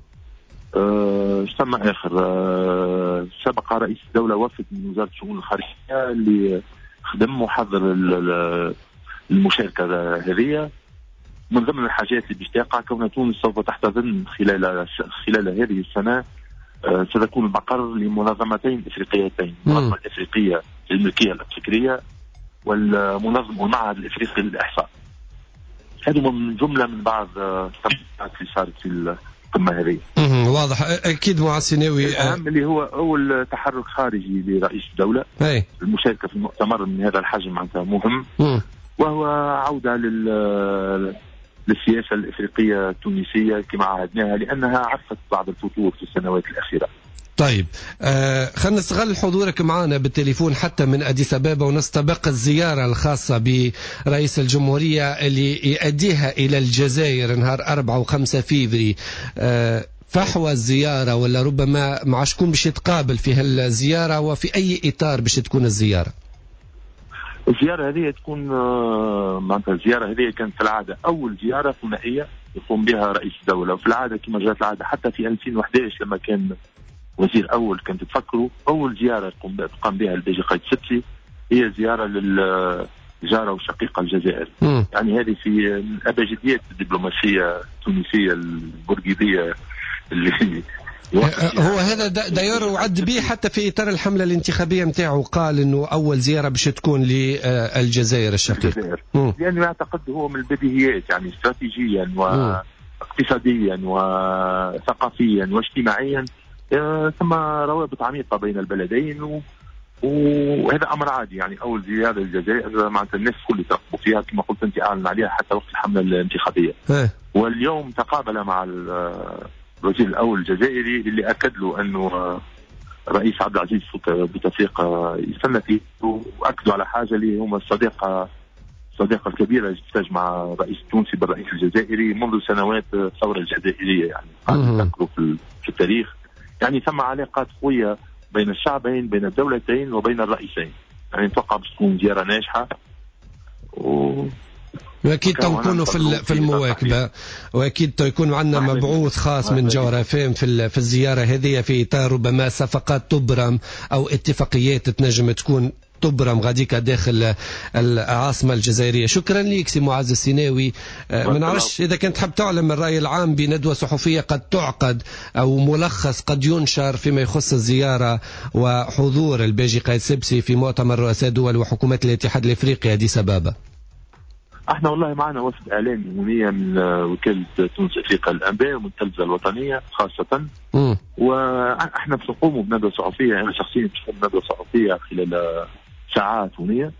أه ثم اخر أه سبق رئيس الدولة وفد من وزارة الشؤون الخارجية اللي خدم وحضر المشاركة هذه. من ضمن الحاجات اللي باش تقع كون تونس سوف تحتضن خلال خلال هذه السنة أه ستكون المقر لمنظمتين افريقيتين، المنظمة الافريقية للملكيه الفكرية والمنظم والمعهد الافريقي للاحصاء. هذو من جملة من بعض التطبيقات اللي صارت في القمه هذه. واضح اكيد معز السيناوي. الاهم اللي هو اول تحرك خارجي لرئيس الدولة. أي. المشاركة في المؤتمر من هذا الحجم معناتها مهم. مم. وهو عوده لل للسياسة الافريقية التونسية كما عهدناها، لانها عرفت بعض الفتور في السنوات الاخيرة. طيب آه خلينا نستغل حضورك معنا بالتليفون حتى من أديس أبابا ونستبق الزيارة الخاصة برئيس الجمهورية اللي يؤديها إلى الجزائر نهار أربعة وخمسة فيفري. آه فحوى الزيارة، ولا ربما مع شكون باش يتقابل في هالزيارة، وفي أي إطار باش تكون الزيارة؟ الزيارة هذه تكون معناتها الزيارة هذه كانت في العادة أول زيارة ثنائية يقوم بها رئيس الدولة، وفي العادة كما جرت العادة حتى في ألفين وأحد عشر لما كان وزير أول كنت تفكروا أول زيارة قام بها الباجي قايد السبسي هي زيارة للجارة والشقيقة الجزائر. م. يعني هذه في من أبجديات الدبلوماسية التونسية البورقيبية اللي هو هذا داير وعد به حتى في إطار الحملة الانتخابية متاعه، قال إنه أول زيارة باش تكون للجزائر الشقيقة، لأنه يعتقد هو من البديهيات يعني استراتيجيا واقتصاديا وثقافيا واجتماعيا ثم روابط عميقة بين البلدين و... وهذا أمر عادي. يعني أول زيارة للجزائر معناتها الناس الكل يترقبوا فيها كما قلت أنت، أعلن عليها حتى وقت الحملة الانتخابية. اه. واليوم تقابل مع الوزير الأول الجزائري اللي أكد له أنه الرئيس عبد العزيز بوتفليقة يستنى فيه، وأكدوا على حاجة اللي هما الصديقة الصديقة الكبيرة اللي تجمع الرئيس التونسي بالرئيس الجزائري منذ سنوات الثورة الجزائرية، يعني تذكروا في التاريخ. يعني ثم علاقات قوية بين الشعبين، بين الدولتين، وبين الرئيسين. يعني نتوقع باش تكون زيارة ناجحة و... واكيد تكونوا في في المواكبه، واكيد يكون عندنا مبعوث خاص من جوهرة فام في في الزيارة هذه، في اطار ربما صفقات تبرم او اتفاقيات تنجم تكون تبرم غاديك داخل العاصمة الجزائرية. شكرا لك سي معز السيناوي. ما نعرفش إذا كنت تحب تعلم الرأي العام بندوة صحفية قد تعقد أو ملخص قد ينشر فيما يخص الزيارة وحضور الباجي قايد سبسي في مؤتمر رؤساء دول وحكومات الاتحاد الإفريقي أديس أبابا. احنا والله معنا وفد اعلامي هنا من وكالة تونس افريقيا للانباء ومن التلفزة الوطنية خاصة. م. واحنا باش نقوموا بندوه صحفية، انا شخصيا باش نقوم بندوه صحفية خلال ساعات هنا.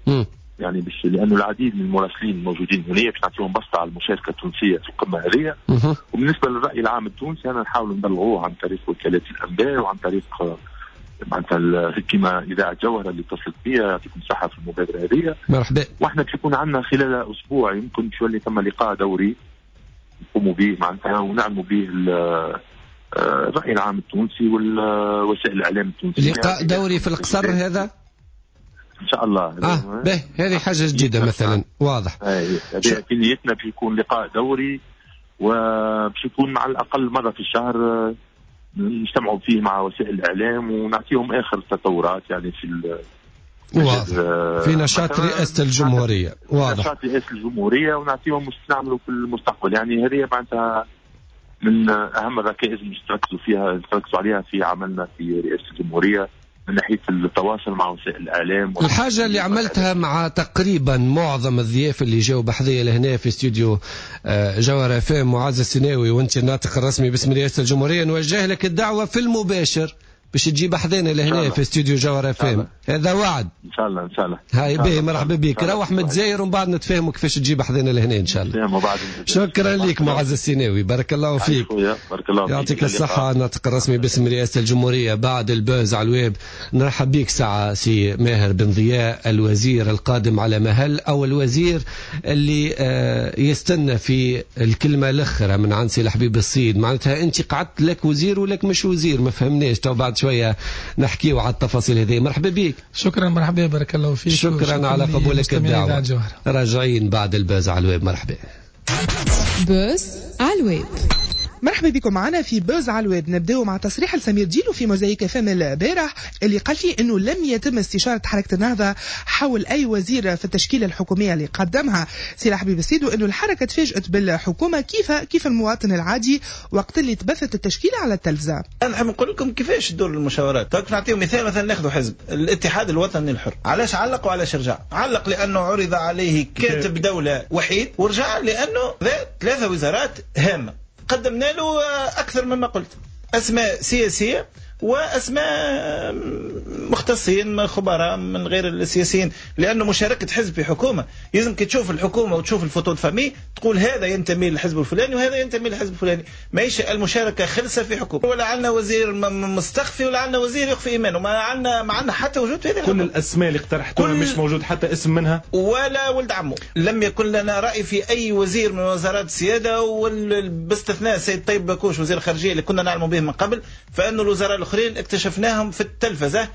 يعني باش لانه العديد من المراسلين الموجودين هنا باش نعطيهم بسطه على المشاركة التونسية في القمه هذه. وبالنسبة للراي العام التونسي انا نحاول نبلغوه عن طريق وكالات الانباء وعن طريق معناتها كما اذاعة جوهره اللي اتصلت بيا، يعطيكم الصحة في المبادرة هذه. مرحبا. واحنا باش يكون عندنا خلال اسبوع يمكن باش يولي ثم لقاء دوري نقوموا به معناتها ونعلموا به الراي العام التونسي والوسائل الاعلام التونسية. لقاء دوري في القصر هذا؟ ان شاء الله. اه به هذه حاجة جديدة مثلا. واضح. هذه في نيتنا باش يكون لقاء دوري، وباش يكون على الاقل مرة في الشهر نجتمعوا فيه مع وسائل الاعلام ونعطيهم اخر التطورات يعني في واضح في نشاط رئاسة الجمهورية. واضح. نشاط رئاسة الجمهورية ونعطيهم واش نعملوا في المستقبل. يعني هذه معناتها من اهم الركائز اللي نركزوا فيها نركزوا عليها في عملنا في رئاسة الجمهورية من ناحية التواصل مع وسائل الاعلام. الحاجة اللي عملتها مع تقريبا معظم الضياف اللي جاوا بحذيه لهنا في استوديو جوهرة اف ام، معز السناوي وانت الناطق الرسمي باسم رئاسة الجمهورية، نوجه لك الدعوة في المباشر باش تجيب حذانا لهنا في استوديو جوهرة اف ام. هذا وعد. ان شاء الله ان شاء الله. هاي باهي، مرحبا بك. روح من الجزائر ومن بعد نتفاهموا كيفاش تجيب حذانا لهنا ان شاء الله. شكرا لك معز السناوي، بارك الله فيك. بارك الله فيك، يعطيك الصحة. الناطق الرسمي باسم رئاسة الجمهورية. بعد ال buzz على الويب نرحب بك ساعة سي ماهر بن ضياء، الوزير القادم على مهل، او الوزير اللي يستنى في الكلمة الأخرى من عند سي الحبيب الصيد. معناتها انت قعدت لك وزير ولك مش وزير، ما فهمناش. تو بعد شوية نحكيو على التفاصيل هذه. مرحبا بك. شكرا، مرحبا، بارك الله فيك. شكرا على قبولك الدعوة. راجعين بعد ال buzz على الويب. مرحبا. buzz على الويب. مرحبا بكم معنا في buzz على الويب. نبداو مع تصريح لسمير ديلو في موزايك اف ام البارح، اللي قال فيه انه لم يتم استشاره حركة النهضة حول اي وزير في التشكيلة الحكومية اللي قدمها سي الحبيب الصيد، وانه الحركة تفاجات بالحكومة كيف كيف المواطن العادي وقت اللي تبثت التشكيلة على التلفزة. انا نحب نقول لكم كيفاش تدور المشاورات. طيب نعطيهم مثال، مثلا ناخذ حزب الاتحاد الوطني الحر، علاش علق وعلاش رجع؟ علق لانه عرض عليه كاتب دولة وحيد، ورجع لانه ثلاثة وزارات هامة قدمنا له أكثر مما قلت، أسماء سياسية وأسماء مختصين خبراء من غير السياسيين، لأنه مشاركة حزب في حكومة لازم كي تشوف الحكومة وتشوف ال photo famille تقول هذا ينتمي للحزب الفلاني وهذا ينتمي للحزب الفلاني. ماهيش المشاركة خلصة في حكومة، ولا عندنا وزير مستخفي ولا عندنا وزير يخفي إيمانه، ما عندنا ما عندنا حتى وجود في هذه. كل الأسماء اللي اقترحتوها مش موجود حتى اسم منها ولا ولد عمه. لم يكن لنا رأي في أي وزير من وزارات السيادة، باستثناء السيد طيب بكوش وزير الخارجية اللي كنا نعلم به من قبل، فإنه الوزراء الآخرين اكتشفناهم في التلفزة.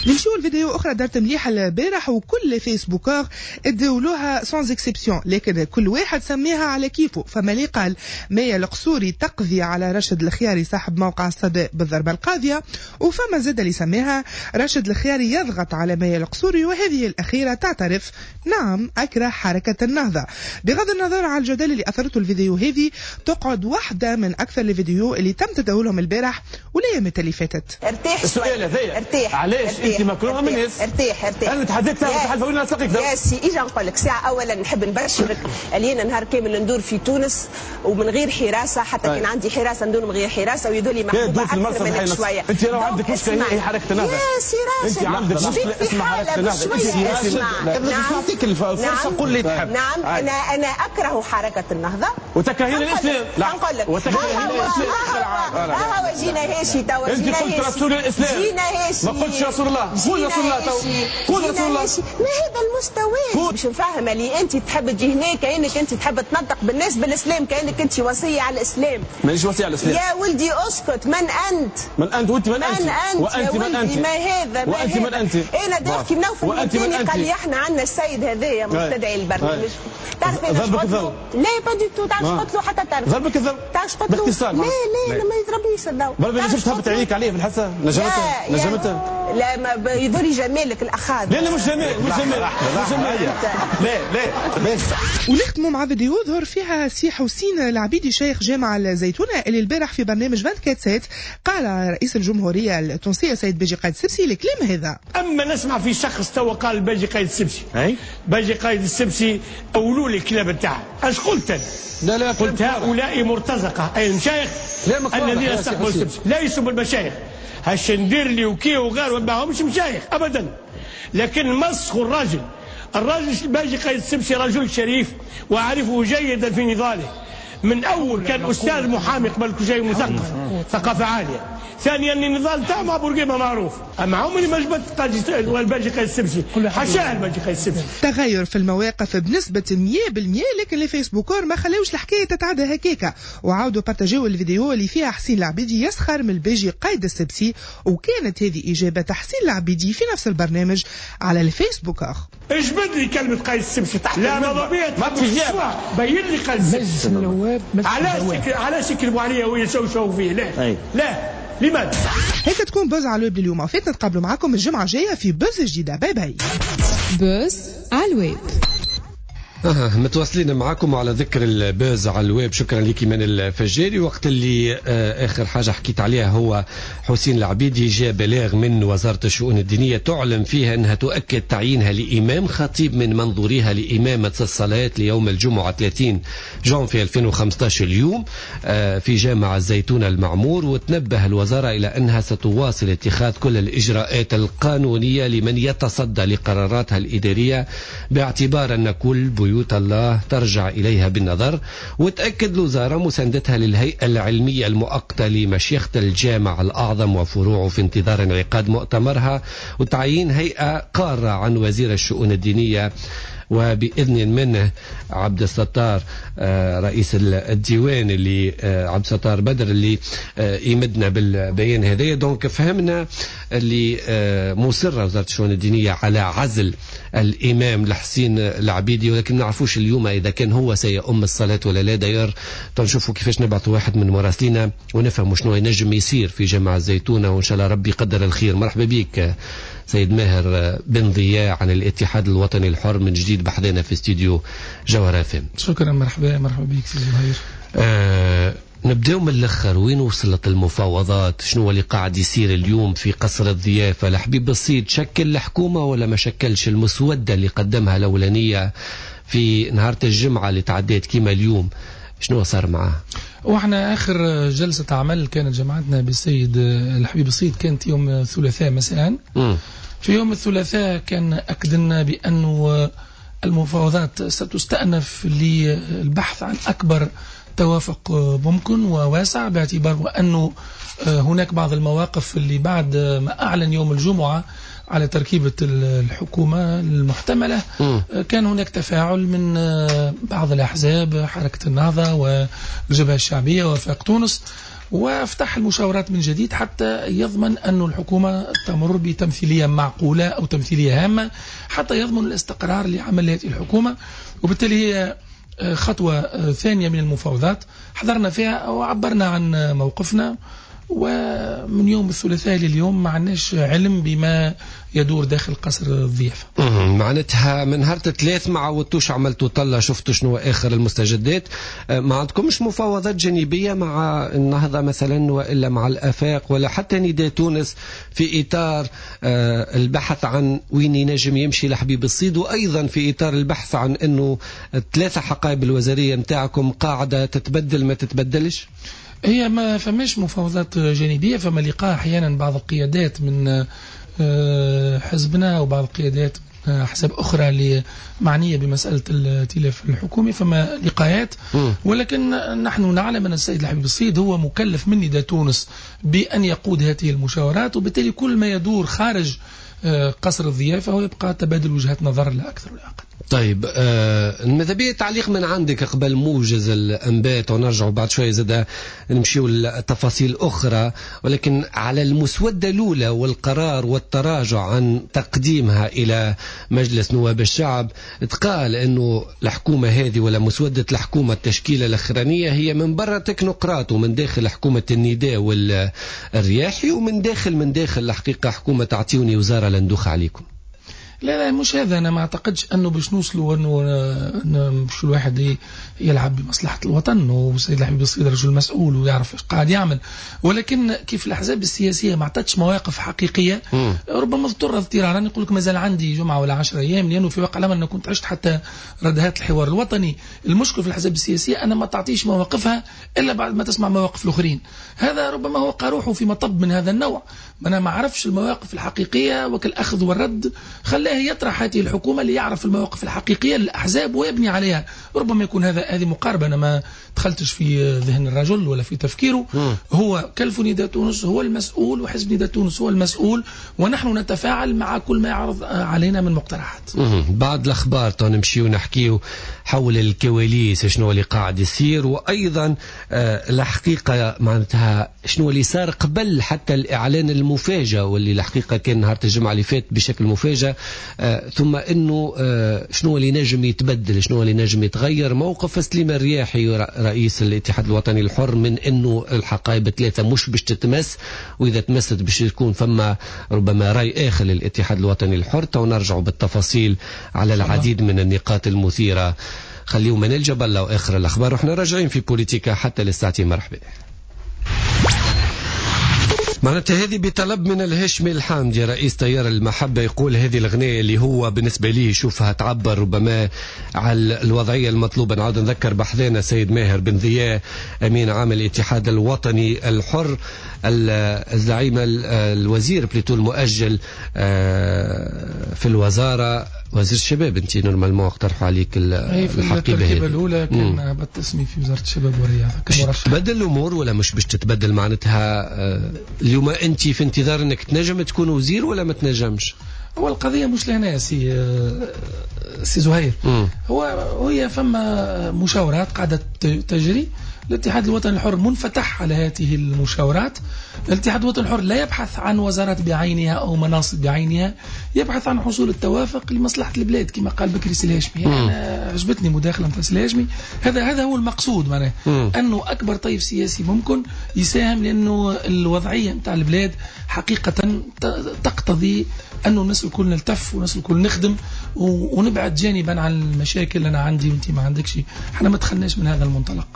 نمشيو الفيديو أخرى دارت مليحة البارح وكل Facebookeurs ادولوها sans exception، لكن كل واحد سميها على كيفه. فما اللي قال مايا القصوري تقضي على راشد الخياري صاحب موقع الصدى بالضربة القاضية، وفما زاد اللي سماها راشد الخياري يضغط على مايا القصوري، وهذه الأخيرة تعترف نعم أكره حركة النهضة. بغض النظر على الجدل اللي أثرته الفيديو هذه، تقعد واحدة من أكثر الفيديو اللي تم تداولهم البارح والأيامات اللي فاتت. ارتاح السؤال هذايا، ارتاح، علاش انت مكروهة من الناس؟ ارتاح ارتاح. انا تحدثت تحدث وين نسقك يا سي. اجا نقول لك ساعة، اولا نحب نبشرك اللي انا نهار كامل ندور في تونس ومن غير حراسة، حتى كان عندي حراسة ندور من غير حراسة، ويدولي محبوبه اكثر منك شوية. انت راه عندك مشكلة هي حركة النهضة. يا سي راشد انت عندك مشكلة اسمها حركة النهضة. نعم نعطيك الفرصة قول لي تحب. نعم انا انا اكره حركة النهضة وتكرهين الاسلام. لا نقول لك وتكرهين الاسلام. ها هو جينا هاشي توا، انت قلت رسول الاسلام، جينا هاشي، ما قلتش رسول الله. قول رسول الله تو، قول رسول الله. ما هذا المستوى باش نفهم اللي انت تحب تجي هنا كانك انت تحب تنطق بالناس بالاسلام، كانك انت وصية على الاسلام. مانيش وصية على الاسلام يا ولدي، اسكت. من انت؟ من انت وانت من انت؟ من انت وانت من انت؟ ما هذا ما وانت من انت؟ انا داخل نوفل وانت من انت؟ قال لي احنا عندنا السيد هذايا مستدعي البرنامج. تعرف انا ضربك الضوء؟ لا pas du tout. تعرف قلت له حتى تعرف ضربك الضوء؟ تعرف قلت له؟ باختصار لا لا ما يضربنيش الضوء. بربي شفت هبط عينيك عليه في الحصة؟ نجمتها نجمتها؟ لا ما يضري جمالك الاخاذ. لا لا مش جمال مش جمال مش جمال. لا لا. ونختموا مع فيديو ظهر فيها سي حسين العبيدي شيخ جامع الزيتونه اللي البارح في برنامج أربعة وعشرين سبعة قال رئيس الجمهورية التونسية سيد باجي قايد السبسي الكلام هذا. اما نسمع في شخص توا قال باجي قايد السبسي، باجي قايد السبسي اولوا لي الكلاب نتاعه. اش قلت انا؟ لا لا قلت هؤلاء مرتزقة، اي المشايخ الذين استقبلوا السبسي ليسوا بالمشايخ. هالشنديرلي وكي وغيره ما همش مشايخ ابدا، لكن مسخوا الراجل الراجل الباجي قايد السبسي رجل شريف وأعرفه جيدا في نضاله، من أول كان أستاذ محامي قبل كل شيء، مثقف ثقافة عالية. ثانيا النضال تاعو مع بورقيبة معروف، أما عمري ما جبت الباجي قايد السبسي، حاشاه الباجي قايد السبسي. تغير في المواقف بنسبة مية بالمية، لكن les facebookeurs ما خلاوش الحكاية تتعدى هكاكا، وعاودوا بارتاجيو الفيديو اللي فيها حسين العبيدي يسخر من الباجي قايد السبسي، وكانت هذه إجابة حسين العبيدي في نفس البرنامج على ال facebookeurs. اجبد لي كلمة قايد السبسي تحت لا ماذا ما بين لي قايد السبسي. علاش علاش يكذبوا عليا ويشوشوا فيه؟ لا لا، لماذا؟ هيك تكون Buzz على الويب اليوم، وفات نتقابلوا معكم الجمعة الجاية في Buzz جديدة. bye bye. Buzz على الويب. أه متواصلين معاكم على ذكر ال Buzz على الويب. شكرا لك من الفجاري. وقت اللي آخر حاجة حكيت عليها هو حسين العبيدي جاء بلاغ من وزارة الشؤون الدينية تعلن فيها أنها تؤكد تعيينها لإمام خطيب من منظورها لإمامة الصلاة ليوم الجمعة ثلاثين جانفي ألفين وخمسة عشر اليوم في جامع الزيتون المعمور. وتنبه الوزارة إلى أنها ستواصل اتخاذ كل الإجراءات القانونية لمن يتصدى لقراراتها الإدارية باعتبار أن كل بيوت الله ترجع إليها بالنظر. وتأكد الوزارة مساندتها للهيئة العلمية المؤقتة لمشيخة الجامع الأعظم وفروعه في انتظار انعقاد مؤتمرها وتعيين هيئة قارة عن وزير الشؤون الدينية وبإذن منه عبد الستار رئيس الديوان اللي عبد الستار بدر اللي يمدنا بالبيان هذايا. donc فهمنا اللي مصرة وزارة الشؤون الدينية على عزل الإمام الحسين العبيدي، ولكن ما نعرفوش اليوم إذا كان هو سيؤم الصلاة ولا لا. داير تنشوفوا كيفاش نبعثوا واحد من مراسلينا ونفهموا شنو ينجم يصير في جامع الزيتونة، وإن شاء الله ربي يقدر الخير. مرحبا بك سيد ماهر بن ضياء عن الاتحاد الوطني الحر من جديد بحذنا في استديو جوهرة اف ام. شكرا، مرحبا مرحبا بك سيدي زهير. آه نبداو من الاخر، وين وصلت المفاوضات؟ شنو اللي قاعد يصير اليوم في قصر الضيافة؟ الحبيب الصيد شكل الحكومة ولا ما شكلش؟ المسوده اللي قدمها الاولانية في نهار الجمعة اللي تعديت كيما اليوم شنو صار معاه؟ واحنا اخر جلسه عمل كانت جمعتنا بالسيد الحبيب الصيد كانت يوم الثلاثاء مساء. في يوم الثلاثاء كان اكد لنا بانه المفاوضات ستستأنف للبحث عن اكبر توافق ممكن وواسع، باعتبار أنه هناك بعض المواقف اللي بعد ما أعلن يوم الجمعة على تركيبة الحكومة المحتملة كان هناك تفاعل من بعض الأحزاب، حركة النهضة والجبهة الشعبية ووفاق تونس، وافتح المشاورات من جديد حتى يضمن أن الحكومة تمر بتمثيلية معقولة أو تمثيلية هامة حتى يضمن الاستقرار لعمليات الحكومة. وبالتالي هي خطوة ثانية من المفاوضات حضرنا فيها وعبرنا عن موقفنا، ومن يوم الثلاثاء لليوم ما عندناش علم بما يدور داخل قصر الضيافة. معناتها من نهار الثلاث ما عودتوش عملتوا طلة شفتوا شنو آخر المستجدات؟ ما عندكمش مفاوضات جانبية مع النهضة مثلا وإلا مع الآفاق ولا حتى نداء تونس في إطار البحث عن وين ينجم يمشي لحبيب الصيد، وأيضا في إطار البحث عن أنه الثلاثة حقائب الوزارية متاعكم قاعدة تتبدل ما تتبدلش؟ هي ما فماش مفاوضات جانبية، فما لقاء أحيانا بعض القيادات من حزبنا وبعض القيادات من أحزاب أخرى اللي معنية بمسألة الائتلاف الحكومي، فما لقاءات. ولكن نحن نعلم أن السيد الحبيب الصيد هو مكلف من نداء تونس بأن يقود هذه المشاورات، وبالتالي كل ما يدور خارج قصر الضيافة هو يبقى تبادل وجهات نظر لا أكثر ولا أقل. طيب آه ماذا بيا تعليق من عندك قبل موجز الأنباء ونرجع بعد شوية زاد نمشيو لتفاصيل أخرى، ولكن على المسودة الأولى والقرار والتراجع عن تقديمها إلى مجلس نواب الشعب، تقال أنه الحكومة هذه ولا مسودة الحكومة التشكيلة الأخرانية هي من برا تكنوقراط ومن داخل حكومة النداء والرياحي، ومن داخل من داخل الحقيقة حكومة تعطيوني وزارة لندوخ عليكم. لا لا مش هذا، أنا ما أعتقدش أنه باش نوصلوا أنه مش الواحد يلعب بمصلحة الوطن، والسيد الحبيب الصيد رجل مسؤول ويعرف إيش قاعد يعمل، ولكن كيف الأحزاب السياسية ما اعطتش مواقف حقيقية م. ربما اضطر اضطرارا يقول لك مازال عندي جمعة ولا عشرة أيام، لأنه في واقع الأمر أنا كنت عشت حتى ردهات الحوار الوطني. المشكل في الأحزاب السياسية أنا ما تعطيش مواقفها إلا بعد ما تسمع مواقف الآخرين، هذا ربما هو قاروحه في مطب من هذا النوع. أنا ما عرفش المواقف الحقيقية وكالأخذ والرد خلاه لا يطرح هذه الحكومة ليعرف المواقف الحقيقية للأحزاب ويبني عليها. ربما يكون هذا هذه مقاربة، أنا ما دخلتش في ذهن الرجل ولا في تفكيره. م. هو كلف نداء تونس هو المسؤول، وحزب نداء تونس هو المسؤول، ونحن نتفاعل مع كل ما يعرض علينا من مقترحات. م. بعد الأخبار نمشيو نحكيو حول الكواليس شنو اللي قاعد يصير، وأيضا آه الحقيقة معناتها شنو اللي صار قبل حتى الإعلان المفاجئ واللي الحقيقة كان نهار الجمعة اللي فات بشكل مفاجئ، آه ثم أنه آه شنو اللي نجم يتبدل، شنو اللي نجم يتغير. موقف سليم الرياحي رئيس الاتحاد الوطني الحر من أنه الحقائب ثلاثة مش باش تتمس، وإذا تمست باش يكون فما ربما رأي آخر للاتحاد الوطني الحر. تو نرجع بالتفاصيل على العديد من النقاط المثيرة. خليو من الجبل وآخر الأخبار وإحنا راجعين في بوليتيكا حتى للساعتين. مرحبا. معناتها هذه بطلب من الهاشمي الحامدي رئيس تيار المحبة، يقول هذه الأغنية اللي هو بالنسبة ليه يشوفها تعبر ربما على الوضعية المطلوبة. نعود نذكر بحذانا سيد ماهر بن ضياء أمين عام الاتحاد الوطني الحر، الزعيم الوزير plutôt المؤجل في الوزارة، وزير الشباب. انت normalement اقترحوا عليك الحقيبة هذه. الاولى كان هبط اسمي في وزارة الشباب والرياضة كمرشح. تبدل الامور ولا مش باش تتبدل؟ معناتها اليوم انت في انتظار انك تنجم تكون وزير ولا ما تنجمش؟ هو القضية مش لهنا سي سي زهير. مم. هو هي فما مشاورات قاعدة تجري. الاتحاد الوطني الحر منفتح على هذه المشاورات. الاتحاد الوطني الحر لا يبحث عن وزارات بعينها أو مناصب بعينها، يبحث عن حصول التوافق لمصلحة البلاد كما قال بكري سي الهاشمي. أنا عجبتني مداخلة نتاع سي الهاشمي، هذا هذا هو المقصود، معناه أنه أكبر طيف سياسي ممكن يساهم، لأنه الوضعية نتاع البلاد حقيقة تقتضي أنه الناس الكل نلتف والناس الكل نخدم ونبعد جانبا عن المشاكل. أنا عندي وأنت ما عندكش، احنا ما دخلناش من هذا المنطلق.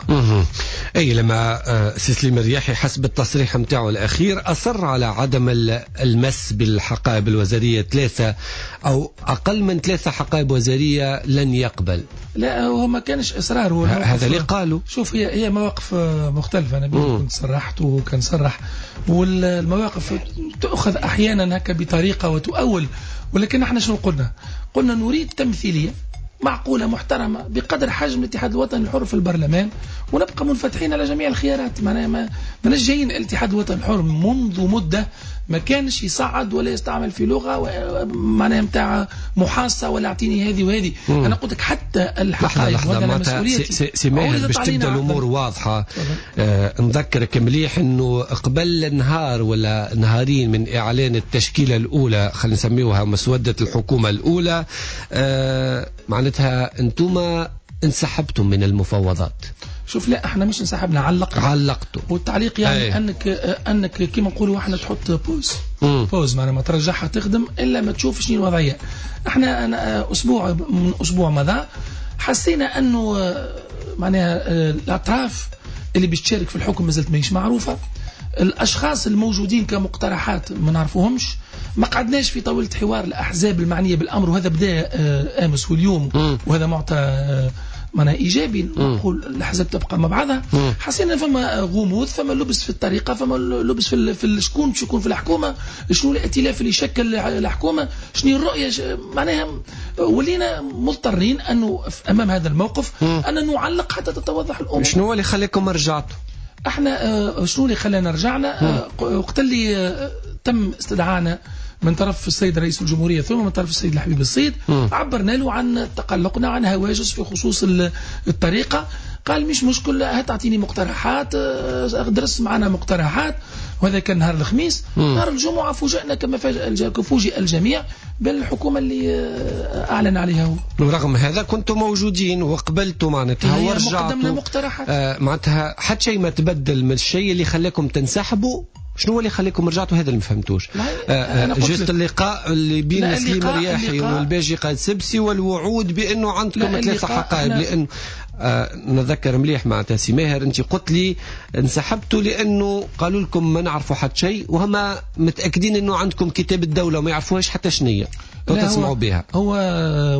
أي لما سي سليم الرياحي حسب التصريح متاعه الأخير أصر على عدم المس بالحقائب الوزارية ثلاثة أو أقل من ثلاثة حقائب وزارية لن يقبل. لا هو ما كانش إصرار، هو هذا اللي قالوا. شوف هي هي مواقف مختلفة، أنا كنت صرحت وكان صرح، والمواقف تأخذ أحيانا هكا بطريقة وتؤول، ولكن احنا شنو قلنا؟ قلنا نريد تمثيلية معقولة محترمة بقدر حجم الاتحاد الوطني الحر في البرلمان، ونبقى منفتحين على جميع الخيارات. معناها ما ماناش جايين. الاتحاد الوطني الحر منذ مدة ما كانش يصعد ولا يستعمل في لغة معناها نتاع محاصة ولا اعطيني هذه وهذه. أنا قلت لك حتى الحقائق وهذا مسؤوليتي. سي ماهر باش تبدا الأمور واضحة، آه نذكرك مليح أنه قبل نهار ولا نهارين من إعلان التشكيلة الأولى، خلينا نسميوها مسودة الحكومة الأولى، آه معناتها أنتم انسحبتم من المفاوضات. شوف لا احنا مش انسحبنا، علقنا. علقتوا. والتعليق يعني أي. انك انك كيما نقولوا احنا تحط pause. مم. pause معناها ما ترجعها تخدم الا ما تشوف شنو الوضعية. احنا أنا اسبوع من اسبوع مضى حسينا انه معناها الاطراف اللي باش تشارك في الحكم مازالت ماهيش معروفة، الاشخاص الموجودين كمقترحات ما نعرفوهمش، ما قعدناش في طاولة حوار الاحزاب المعنية بالامر، وهذا بدا امس واليوم. مم. وهذا معطى معناها ايجابي، نقول الاحزاب تبقى مع بعضها. حسينا فما غموض، فما لبس في الطريقة، فما لبس في في شكون باش يكون في الحكومة، شنو الائتلاف اللي يشكل الحكومة، شنو الرؤية، معناها ولينا مضطرين انه امام هذا الموقف ان نعلق حتى تتوضح الامور. شنو اللي خلاكم رجعتوا؟ احنا شنو اللي خلانا رجعنا؟ وقت اللي تم استدعانا من طرف السيد رئيس الجمهورية ثم من طرف السيد الحبيب الصيد، عبرنا له عن تقلقنا، عن هواجس في خصوص الطريقة. قال مش مشكل، هتعطيني مقترحات، درس معنا مقترحات. وهذا كان نهار الخميس. نهار الجمعة فوجئنا كما فوجئ الجميع بالحكومة اللي أعلن عليها هو. ورغم هذا كنتم موجودين وقبلتوا معناتها ورجعتوا مقترحات. آه معناتها حتى شيء ما تبدل من الشيء اللي خلاكم تنسحبوا. شنو هو اللي خليكم رجعتوا؟ هذا اللي ما فهمتوش. آه juste اللقاء اللي بين سليم الرياحي والباجي قائد سبسي والوعود بانه عندكم ثلاثة حقائب، لانه آه نذكر مليح معناتها سي ماهر انت قلت لي انسحبتوا لانه قالوا لكم ما نعرفوا حتى شيء، وهما متاكدين انه عندكم كتاب الدولة وما يعرفوهاش حتى شنية. تسمعوا بها. هو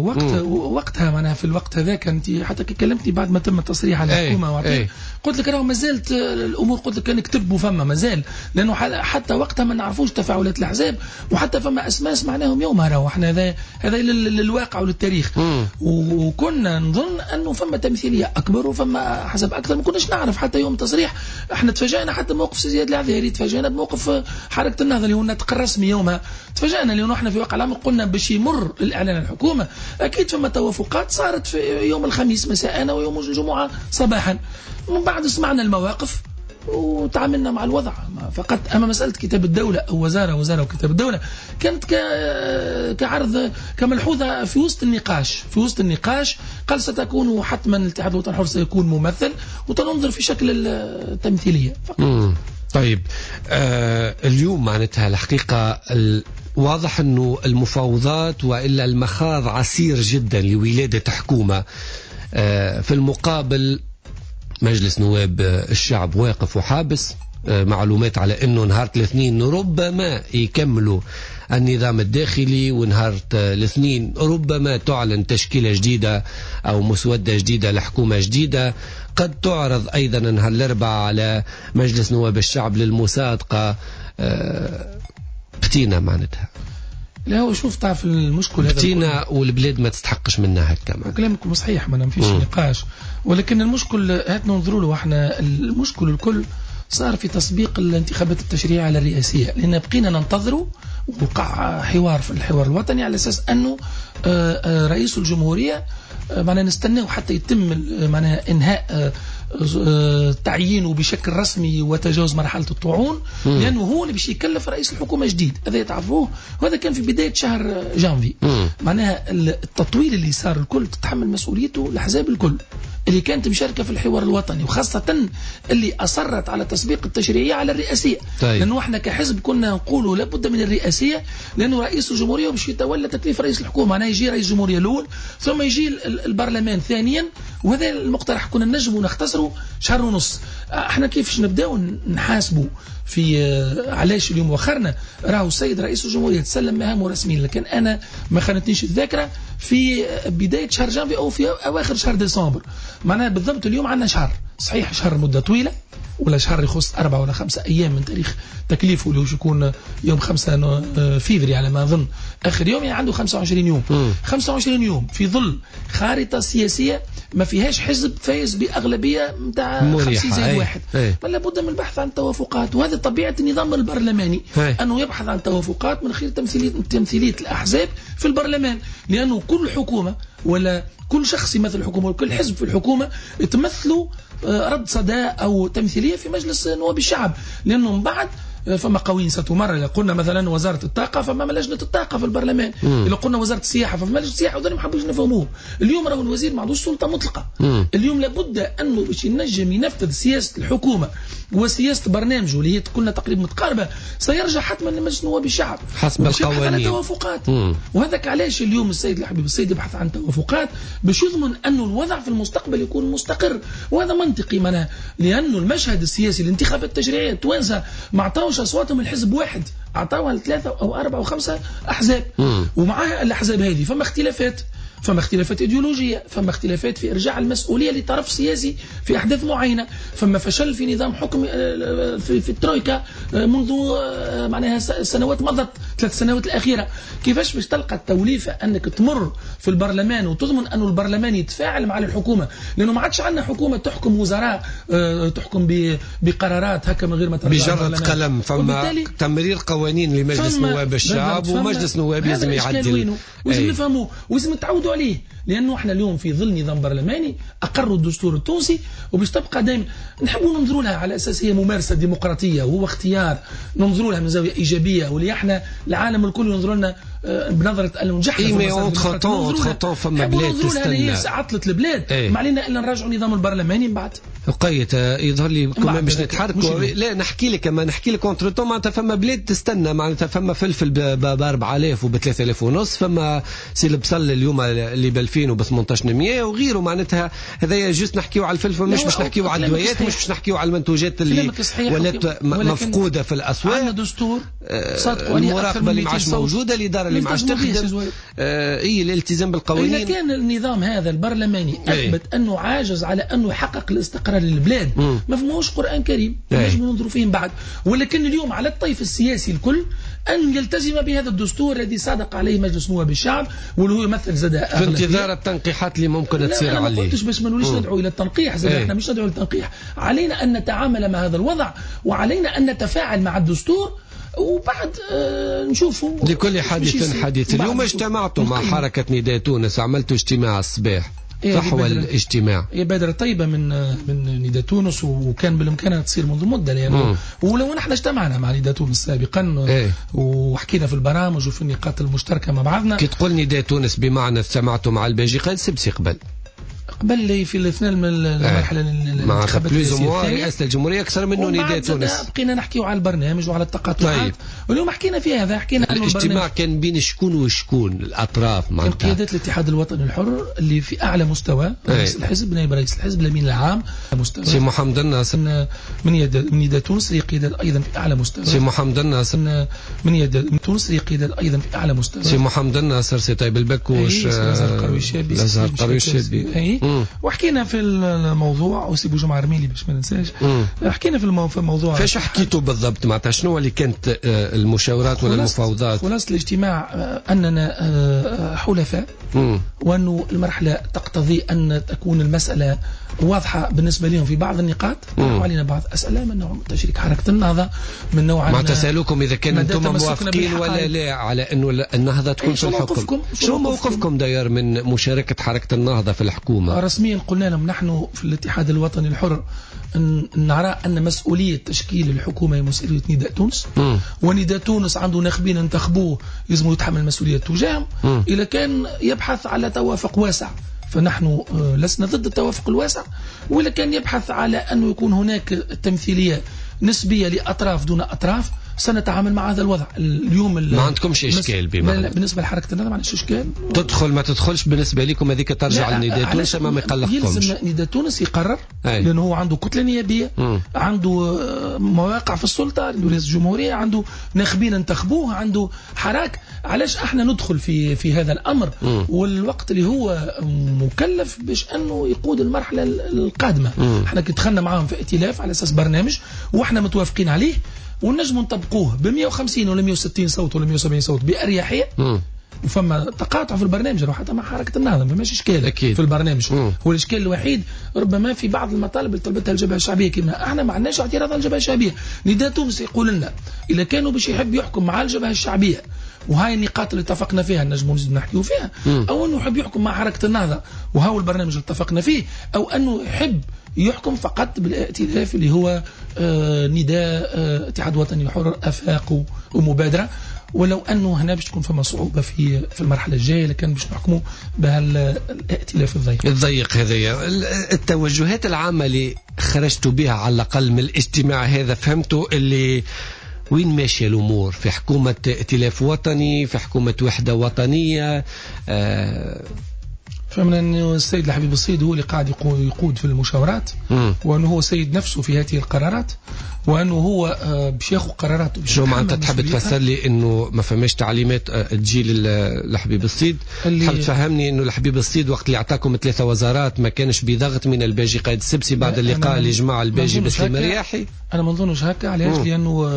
وقت مم. وقتها معناها في الوقت هذاك انت حتى كي كلمتني بعد ما تم التصريح على الحكومة وعطيت قلت لك راهو مازالت الامور، قلت لك كان كتب وفما مازال، لانه حتى وقتها ما نعرفوش تفاعلات الاحزاب وحتى فما اسماء سمعناهم يومها، راهو احنا هذا هذا للواقع وللتاريخ. مم. وكنا نظن انه فما تمثيلية اكبر وفما احزاب اكثر، ما كناش نعرف حتى يوم التصريح. احنا تفاجئنا حتى بموقف سي زياد العذاري، تفاجئنا بموقف حركة النهضة اللي هو الناطق الرسمي يومها، تفاجئنا لانه احنا في واقع الامر قلنا باش يمر الاعلان الحكومة اكيد فما توافقات صارت في يوم الخميس مساء ويوم الجمعة صباحا. من بعد سمعنا المواقف وتعاملنا مع الوضع فقط. اما مسالة كتاب الدولة او وزارة وزارة وكتاب الدولة كانت كعرض كملحوظه في وسط النقاش، في وسط النقاش قال ستكون حتما الاتحاد الوطني الحر سيكون ممثل وتنظر في شكل التمثيلية فقط. مم. طيب آه اليوم معناتها الحقيقة واضح أنه المفاوضات وإلا المخاض عسير جدا لولادة حكومة. آه في المقابل مجلس نواب الشعب واقف وحابس، آه معلومات على أنه نهار الاثنين ربما يكملوا النظام الداخلي، ونهار الاثنين ربما تعلن تشكيلة جديدة أو مسودة جديدة لحكومة جديدة، قد تعرض أيضا نهار الأربعاء على مجلس نواب الشعب للمصادقة. آه بتينا معناتها. لا هو شوف تعرف المشكل هذا بتينا والبلاد ما تستحقش منها هكا. كلامكم صحيح ما فيش نقاش، ولكن المشكل هات ننظروا له احنا. المشكل الكل صار في تسبيق الانتخابات التشريعية على الرئاسية، لأن بقينا ننتظروا وقع حوار في الحوار الوطني على أساس أنه رئيس الجمهورية معناها نستناه حتى يتم معناها إنهاء تعيينه بشكل رسمي وتجاوز مرحلة الطعون، لأنه هو اللي باش يكلف رئيس الحكومة جديد، هذا يتعرفوه، وهذا كان في بداية شهر جانفي. معناها التطويل اللي صار الكل تتحمل مسؤوليته الأحزاب الكل اللي كانت مشاركة في الحوار الوطني، وخاصة اللي أصرت على تسبيق التشريعية على الرئاسية. طيب. لأنه احنا كحزب كنا نقولوا لابد من الرئاسية، لأنه رئيس الجمهورية باش يتولى تكليف رئيس الحكومة، معناها يجي رئيس الجمهورية الأول ثم يجي البرلمان ثانيا، وهذا المقترح كنا نجموا نختصره شهر ونص. احنا كيفاش نبداو نحاسبوا في علاش اليوم وخرنا؟ راهو السيد رئيس الجمهورية تسلم مهامه رسميا، لكن أنا ما خانتنيش الذاكرة في بداية شهر جانفي أو في أواخر شهر ديسمبر، معناها بالضبط اليوم عندنا شهر، صحيح شهر مدة طويلة ولا شهر يخص أربعة ولا خمسة أيام من تاريخ تكليفه اللي هو يكون يوم خمسة فيفري على ما أظن آخر يوم، يعني عنده خمسة وعشرين يوم. م. خمسة وعشرين يوم في ظل خارطة سياسية ما فيهاش حزب فايز بأغلبية متاع خمسين زائد واحد، بل لابد من البحث عن توافقات، وهذا طبيعة النظام البرلماني. أي. أنه يبحث عن توافقات من خلال تمثيلية تمثيلية الأحزاب في البرلمان، لأنه كل حكومة ولا كل شخص يمثل الحكومة وكل حزب في الحكومة تمثلوا رد صدى أو تمثيلية في مجلس نواب الشعب، لأنه من بعد فما قوانين ستمرر. إذا قلنا مثلا وزارة الطاقة فما لجنة الطاقة في البرلمان، إذا قلنا وزارة السياحة فما لجنة السياحة، وهذول ما حبوش نفهموه. اليوم راهو الوزير ما عندوش سلطة مطلقة. مم. اليوم لابد أنه باش ينجم ينفذ سياسة الحكومة وسياسة برنامجه اللي هي كلنا تقريبا متقاربة، سيرجع حتما لمجلس نواب الشعب حسب القوانين على توافقات. وهذاك علاش اليوم السيد الحبيب السيد يبحث عن توافقات باش يضمن أنه الوضع في المستقبل يكون مستقر، وهذا منطقي معناها، لأنه المشهد السياسي الانتخابات التشريعية التوانسة ما عطاوش أصواتهم الحزب واحد، أعطاوها لثلاثة أو أربعة أو خمسة أحزاب، ومعها الأحزاب هذه فما اختلافات، فما اختلافات إيديولوجية، فما اختلافات في إرجاع المسؤولية لطرف سياسي في أحداث معينة، فما فشل في نظام حكم في, في الترويكا منذ معناها سنوات مضت، ثلاث سنوات الأخيرة. كيفاش باش تلقى التوليفة أنك تمر في البرلمان وتضمن أن البرلمان يتفاعل مع الحكومة، لأنه ما عادش عندنا حكومة تحكم وزراء تحكم بقرارات هكا من غير ما ترجع بجرة قلم، فما تمرير قوانين لمجلس نواب الشعب ومجلس نواب لازم يعدل، ولازم نفهموه ولازم نتعودوا عليه، لأنه احنا اليوم في ظل نظام برلماني أقروا الدستور التونسي وباش تبقى دائما نحبوا ننظروا لها على أساس هي ممارسة ديمقراطية وهو اختيار، ننظروا لها من زاوية إيجابية، واللي احنا العالم الكل ينظروا لنا بنظرة أنه نجحنا في المسار الديمقراطي. فما بلاد تستنى عطلت البلاد، ما علينا إلا نراجعوا النظام البرلماني من بعد. وقيت يظهر لي كمان باش نتحركوا. لا نحكي لك، اما نحكي لك entre-temps معناتها فما بلاد تستنى، معناتها فما فلفل ب أربعة آلاف وب ثلاثة آلاف ونص، فما سي البصل اليوم اللي ب ألفين وب ثمنطاش مية وغيره. معناتها هذايا juste نحكيو على الفلفل، مش باش نحكيو على الدويات، مش باش نحكيو على المنتوجات اللي ولات مفقودة في الاسواق. عندنا دستور صادقوا عليه، المراقبة اللي ما عادش موجودة، الادارة اللي ما عادش تخدم، اي الالتزام بالقوانين. اذا كان النظام هذا البرلماني اثبت انه عاجز على انه يحقق الاستقرار للبلاد، ما فماهوش قرآن كريم نجم ننظروا فيه من بعد. ولكن اليوم على الطيف السياسي الكل أن يلتزم بهذا الدستور الذي صادق عليه مجلس نواب الشعب، واللي هو يمثل زاد في انتظار التنقيحات اللي ممكن تصير عليه. ما قلتش باش ما نوليش ندعو إلى التنقيح، زاد احنا مش ندعو للتنقيح، علينا أن نتعامل مع هذا الوضع وعلينا أن نتفاعل مع الدستور، وبعد آه نشوفوا. لكل حادث حديث. اليوم اجتمعتوا مع حركة نداء تونس، عملتوا اجتماع الصباح، فحوى الاجتماع. هي بادرة طيبة من من نداء تونس، وكان بالإمكان تصير منذ مدة، لأنه ولو نحن اجتمعنا مع نداء تونس سابقا ايه. وحكينا في البرامج وفي النقاط المشتركة مع بعضنا. كي تقول نداء تونس بمعنى اجتمعتوا مع الباجي قال سبسي قبل قبل في الاثنين من المرحلة الانتخابات الرئاسية رئاسة الجمهورية اكثر منه نداء تونس. بقينا نحكيو على البرنامج وعلى التقاطعات. طيب. واليوم حكينا في هذا، حكينا انه الاجتماع كان بين شكون وشكون الاطراف معناتها؟ كان قيادات الاتحاد الوطني الحر اللي في اعلى مستوى، رئيس الحزب، نائب رئيس الحزب، الامين العام، مستوى سي محمد الناصر من نداء تونس اللي قيادات ايضا في اعلى مستوى، سي محمد الناصر من نداء تونس اللي قيادات ايضا في اعلى مستوى، سي محمد الناصر، سي طيب البكوش، الازهر القروي الشابي، الازهر القروي الشابي. وحكينا في الموضوع، وسي بوجمعة رميلي باش ما ننساش، حكينا في الموضوع. فاش حكيتوا بالضبط معناتها؟ شنو اللي كانت المشاورات ولا المفاوضات؟ خلاصة الاجتماع أننا حلفاء، وأنه المرحلة تقتضي أن تكون المسألة واضحة بالنسبة لهم في بعض النقاط. علينا بعض أسئلة من نوع تشريك حركة النهضة، من نوع ما تسألوكم إذا كان أنتم موافقين ولا لا على أنه النهضة تكون في الحكم. شو موقفكم داير من مشاركة حركة النهضة في الحكومة؟ رسميا قلنا لهم نحن في الاتحاد الوطني الحر أن نرى أن مسؤولية تشكيل الحكومة هي مسؤولية نداء تونس، ونداء تونس عنده ناخبين انتخبوه يلزم يتحمل المسؤولية تجاههم. إذا كان يبحث على توافق واسع فنحن لسنا ضد التوافق الواسع، وإذا كان يبحث على أنه يكون هناك تمثيلية نسبية لأطراف دون أطراف سنتعامل مع هذا الوضع. اليوم ما عندكمش اشكال بمعنى بالنسبة لحركة النهضة ما عندناش اشكال، تدخل ما تدخلش بالنسبة لكم هذيك ترجع لنداء تونس ما يقلقكمش. يلزم نداء تونس يقرر، لانه هو عنده كتلة نيابية، مم. عنده مواقع في السلطة، عنده رئيس الجمهورية، عنده ناخبين انتخبوه، عنده حراك. علاش احنا ندخل في في هذا الامر؟ مم. والوقت اللي هو مكلف باش انه يقود المرحلة القادمة. مم. احنا كي دخلنا معاهم في ائتلاف على اساس برنامج واحنا متوافقين عليه ونجموا نطبقوه ب مية وخمسين ولا مية وستين صوت ولا مية وسبعين صوت بأريحية. وفما تقاطع في البرنامج حتى مع حركة النهضة ما فماش إشكال أكيد في البرنامج. مم. هو الإشكال الوحيد ربما في بعض المطالب اللي طلبتها الجبهة الشعبية، كما احنا ما عندناش اعتراض على الجبهة الشعبية. نداء تونس يقول لنا إذا كانوا باش يحب يحكم مع الجبهة الشعبية وهاي النقاط اللي اتفقنا فيها نجموا نزيد نحكيو فيها، مم. أو أنه يحب يحكم مع حركة النهضة وهو البرنامج اللي اتفقنا فيه، أو أنه يحب يحكم فقط بالائتلاف اللي هو آه نداء آه اتحاد وطني الحر، افاق ومبادرة. ولو انه هنا باش تكون فما صعوبة في في المرحلة الجاية لكان باش نحكموا بهالائتلاف الضيق الضيق هذايا. التوجهات العامة اللي خرجتوا بها على الاقل من الاجتماع هذا، فهمتوا اللي وين ماشية الامور في حكومة ائتلاف وطني، في حكومة وحده وطنية؟ آه فهمنا أن السيد الحبيب الصيد هو اللي قاعد يقود في المشاورات، وأنه هو سيد نفسه في هذه القرارات، وأنه هو باش ياخذ قرارات. شو معناتها تحب تفسر لي أنه ما فماش تعليمات تجي للحبيب الصيد؟ تحب تفهمني أنه الحبيب الصيد وقت اللي أعطاكم ثلاثة وزارات ما كانش بضغط من الباجي قائد السبسي بعد اللقاء اللي جمع الباجي بسليم الرياحي؟ أنا ما نظنش هكا. علاش؟ لأنه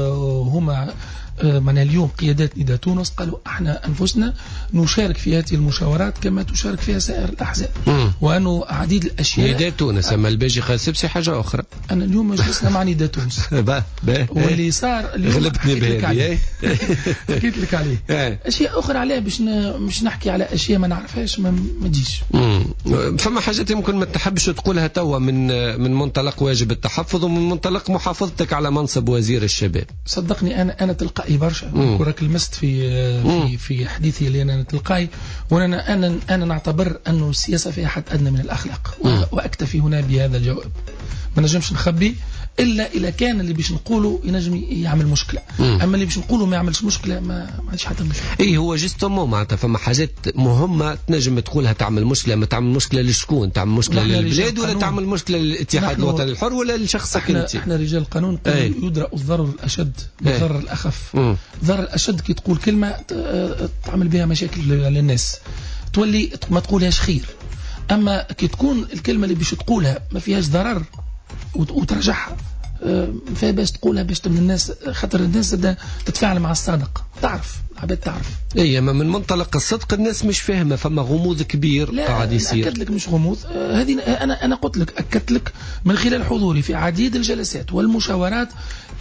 هما من اليوم قيادات نداء تونس قالوا احنا انفسنا نشارك في هذه المشاورات كما تشارك فيها سائر الاحزاب، وانه عديد الاشياء نداء تونس. اما الباجي قائد السبسي حاجة اخرى. انا اليوم جلسنا مع نداء تونس واللي صار اليوم غلبتني بهذه، حكيت لك عليه اشياء اخرى. علاه باش مش نحكي على اشياء ما نعرفهاش ما تجيش. فما حاجات يمكن ما تحبش تقولها توا من من منطلق واجب التحفظ ومن منطلق محافظتك على منصب وزير الشباب. صدقني انا انا تلقائي برشا، وراك لمست في في في حديثي اللي انا تلقائي، وانا انا انا نعتبر انه السياسة فيها حد ادنى من الاخلاق، واكتفي هنا بهذا الجواب. ما نجمش نخبي الا اذا كان اللي باش نقوله ينجم يعمل مشكلة. مم. اما اللي باش نقوله ما يعملش مشكلة ما ما عنديش حتى مشكلة. اي هو justement معناتها فما حاجات مهمة تنجم تقولها تعمل مشكلة، ما تعمل مشكلة لشكون؟ تعمل مشكلة للبلاد ولا تعمل مشكلة للاتحاد الوطني الحر ولا لشخصك انت؟ احنا رجال القانون يدرأ الضرر الاشد بالضرر الاخف. الضرر الاشد كي تقول كلمة تعمل بها مشاكل للناس تولي ما تقولهاش خير، اما كي تكون الكلمة اللي باش تقولها ما فيهاش ضرر وترجعها فيها باش تقولها باش تمن الناس، خاطر الناس تتفاعل مع الصادق، تعرف العباد تعرف. اي اما من منطلق الصدق الناس مش فاهمه، فما غموض كبير قاعد يصير. اكدت لك مش غموض، هذه انا انا قلت لك اكدت لك من خلال حضوري في عديد الجلسات والمشاورات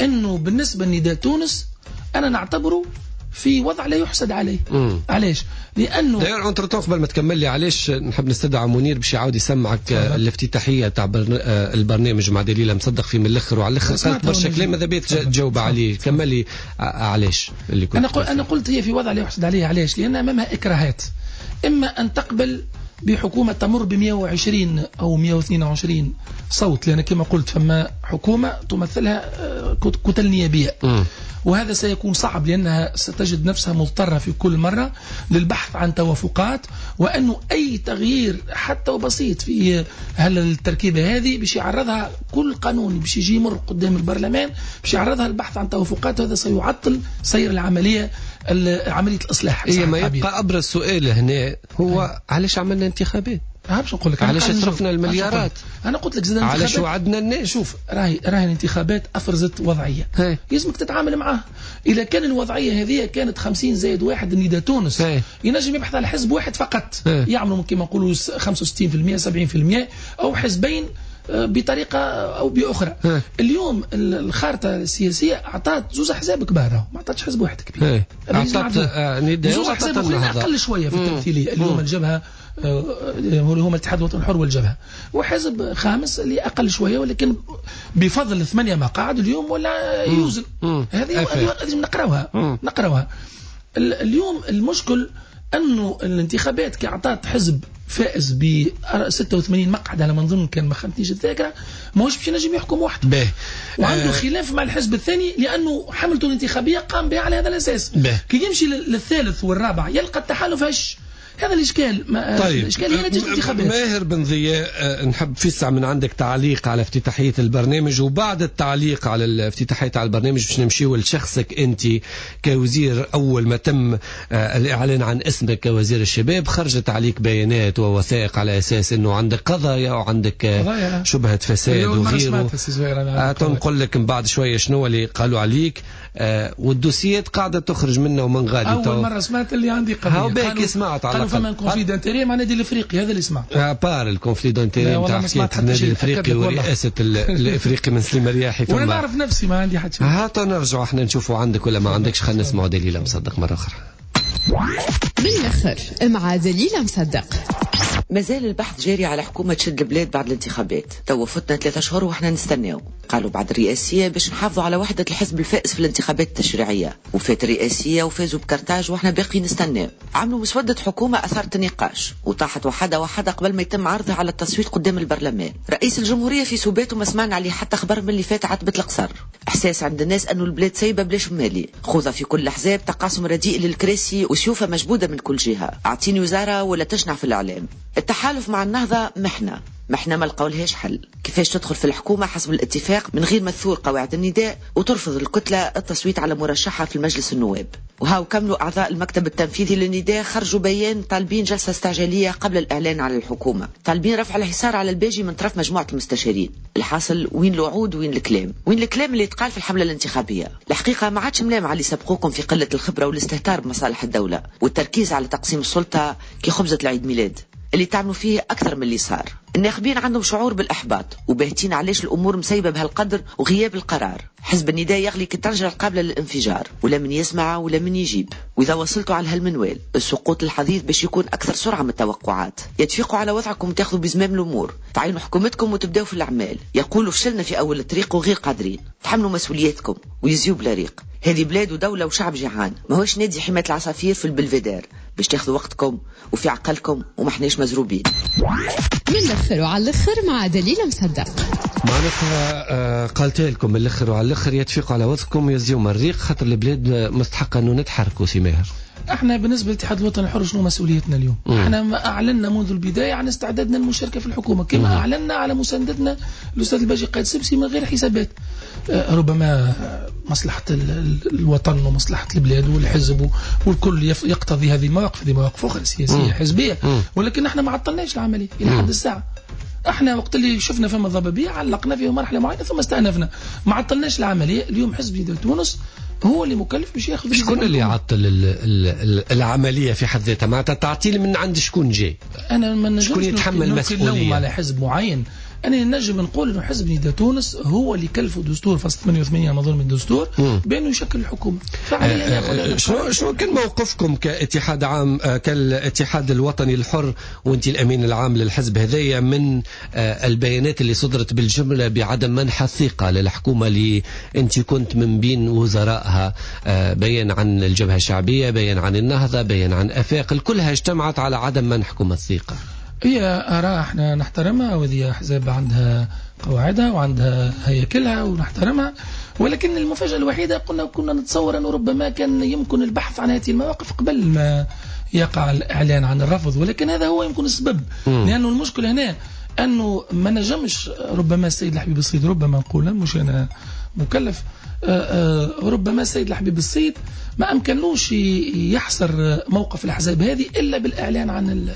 انه بالنسبة لنداء تونس انا نعتبره في وضع لا يحسد عليه. مم. علاش؟ لانه d'ailleurs entre-temps قبل ما تكمل لي علاش نحب نستدعى منير باش يعاود يسمعك الافتتاحيه تاع البرنامج مع دليله مصدق في من الاخر وعلى الاخر قالت برشا كلام ماذا بيا تجاوب عليه. كمل لي علاش اللي كنت انا قل انا قلت هي في وضع لا يحسد عليه. علاش؟ لان امامها اكراهات، اما ان تقبل بحكومة تمر ب مئة وعشرين او مئة واثنين وعشرين صوت، لان كما قلت فما حكومة تمثلها كتل نيابية. م. وهذا سيكون صعب لأنها ستجد نفسها مضطرة في كل مرة للبحث عن توافقات، وأنه أي تغيير حتى وبسيط في هل التركيبة هذه باش يعرضها كل قانون باش يجي يمر قدام البرلمان باش يعرضها للبحث عن توافقات، وهذا سيعطل سير العملية عملية الإصلاح. إيه ما يبقى أبرز سؤال هنا هو علاش عملنا انتخابات؟ باش نقول لك علاش صرفنا المليارات؟ انا قلت لك زاد علاش وعدنا الناس؟ شوف راهي راهي الانتخابات افرزت وضعية يلزمك تتعامل معها. اذا كان الوضعية هذه كانت خمسين زائد واحد نداء تونس ينجم يبحث على حزب واحد فقط يعملوا كما نقولوا خمسة وستين بالمئة سبعين بالمئة او حزبين بطريقة او باخرى. هي. اليوم الخارطة السياسية اعطت زوز احزاب كبار، ما اعطتش حزب واحد كبير. اعطت نداء زوز احزاب اخرين اقل شوية في التمثيلية. اليوم الجبهة هما الاتحاد الوطني الحر والجبهه، وحزب خامس اللي اقل شوية ولكن بفضل ثمانية مقاعد اليوم ولا يوزن. هذه لازم نقراوها نقراوها. اليوم المشكل انه الانتخابات كي اعطت حزب فائز ب ستة وثمانين مقعد على ما نظن كان ما خانتنيش الذاكرة، ماهوش باش ينجم يحكم وحده. وعنده آه. خلاف مع الحزب الثاني لانه حملته الانتخابية قام بها على هذا الاساس. به. كي يمشي للثالث والرابع يلقى التحالف هش. هذا الإشكال. ما طيب. الإشكال هي نتيجة الانتخابات. ماهر بن ضياء، نحب فيسع من عندك تعليق على افتتاحية البرنامج، وبعد التعليق على الافتتاحية على البرنامج باش نمشيو لشخصك أنت كوزير. أول ما تم الإعلان عن اسمك كوزير الشباب خرجت عليك بيانات ووثائق على أساس أنه عندك قضايا وعندك قضايا. شبهة فساد وغيره. نقول لك من بعد شوية شنو اللي قالوا عليك، والدوسيات قاعدة تخرج منا ومن غادي. أول مرة سمعت اللي عندي قضية. هاو باكي سمعت على فما conflit d'intérêts مع النادي الافريقي، هذا اللي سمعت. à part ال conflit d'intérêts نتاع حكاية النادي الافريقي ورئاسه الافريقي من سليم الرياحي. وانا نعرف نفسي ما عندي حتى شيء. هات نرجعوا احنا نشوفوا عندك ولا ما عندكش. خلينا نسمعوا دليلة مصدق مرة اخرى. بالاخر مع دليلة مصدق. مازال البحث جاري على حكومة تشد البلاد بعد الانتخابات. تو فتنا ثلاثة شهور واحنا نستناو. قالوا بعد الرئاسية باش نحافظوا على وحدة الحزب الفائز في الانتخابات التشريعية، وفات الرئاسية وفازوا بكرتاج واحنا باقي نستناو. عملوا مسودة حكومة أثارت النقاش وطاحت وحدة وحدة قبل ما يتم عرضها على التصويت قدام البرلمان. رئيس الجمهورية في سباته ما سمعنا عليه حتى خبر من اللي فات عتبة القصر. إحساس عند الناس أنه البلاد سايبة بلاش مالي، خوضة في كل الأحزاب، تقاسم رديء للكراسي وسيوفة مجبودة من كل جهة. أعطيني وزارة ولا تشنع في الإعلام. التحالف مع النهضة محنة محنة ما لقاولهاش حل. كيفاش تدخل في الحكومة حسب الاتفاق من غير ما تثور قواعد النداء وترفض الكتلة التصويت على مرشحها في المجلس النواب؟ وهاو كملوا أعضاء المكتب التنفيذي للنداء خرجوا بيان طالبين جلسة استعجالية قبل الإعلان على الحكومة، طالبين رفع الحصار على الباجي من طرف مجموعة المستشارين. الحاصل وين الوعود وين الكلام؟ وين الكلام اللي يتقال في الحملة الانتخابية؟ الحقيقة ما عادش ملام على اللي سبقوكم في قلة الخبرة والاستهتار بمصالح الدولة والتركيز على تقسيم السلطة كي خبزة العيد ميلاد اللي تعملوا فيه أكثر من اللي صار. الناخبين عندهم شعور بالإحباط وباهتين علاش الأمور مسيبة بهالقدر وغياب القرار. حزب النداء يغلي كالطنجرة القابلة للانفجار، ولا من يسمع ولا من يجيب. وإذا وصلتوا على هالمنوال السقوط الحديث باش يكون أكثر سرعة من التوقعات. يتفيقوا على وضعكم وتاخذوا بزمام الأمور، تعينوا حكومتكم وتبداوا في الأعمال. يقولوا فشلنا في أول الطريق وغير قادرين، تحملوا مسؤولياتكم ويزيوا بلا ريق. هذه بلاد ودولة وشعب جيعان، ماهوش نادي حماية العصافير في البلفيدير. باش تاخذوا وقتكم وفي عقلكم وما احناش مزروبين. من الاخر وعلى الاخر مع دليل مصدق. معناتها قالت لكم من الاخر وعلى الاخر، يتفقوا على وضعكم ويزيوا الريق، خاطر البلاد مستحقه انه نتحركوا. سي ماهر، احنا بالنسبة للاتحاد الوطني الحر شنو مسؤوليتنا اليوم؟ مم. احنا اعلنا منذ البداية عن استعدادنا للمشاركة في الحكومة، كما مم. اعلنا على مساندتنا الاستاذ الباجي قائد السبسي من غير حسابات. ربما مصلحة الوطن ومصلحه البلاد والحزب والكل يقتضي هذه المواقف، هذه مواقف اخرى سياسية مم. حزبية، مم. ولكن احنا ما عطلناش العملية الى حد الساعة. احنا وقت اللي شفنا فما ضبابية علقنا في مرحلة معينة ثم استأنفنا، ما عطلناش العملية. اليوم حزب نداء تونس هو اللي مكلف باش ياخذ. شكون اللي عطل العملية في حد ذاتها؟ معناتها التعطيل من عند شكون جاي؟ انا ما نجمش شكون يتحمل المسؤولية على حزب معين. انا نجم نقول انه حزب نداء تونس هو اللي كلفه دستور فصل ثمانية وثمانين على ما اظن من الدستور بانه يشكل الحكومة. آه شنو شنو كان موقفكم كاتحاد عام، كالاتحاد الوطني الحر وانت الامين العام للحزب هذايا، من البيانات اللي صدرت بالجملة بعدم منح الثقة للحكومة اللي انت كنت من بين وزرائها؟ بيان عن الجبهة الشعبية، بيان عن النهضة، بيان عن افاق، كلها اجتمعت على عدم منحكم الثقة. هي آراء احنا نحترمها، وهذه أحزاب عندها قواعدها وعندها هياكلها ونحترمها، ولكن المفاجأة الوحيدة قلنا كنا نتصور أنه ربما كان يمكن البحث عن هذه المواقف قبل ما يقع الإعلان عن الرفض، ولكن هذا هو يمكن السبب. لأنه المشكلة هنا أنه ما نجمش ربما السيد الحبيب الصيد، ربما نقول مش أنا مكلف، ربما السيد الحبيب الصيد ما أمكنوش يحصر موقف الأحزاب هذه إلا بالإعلان عن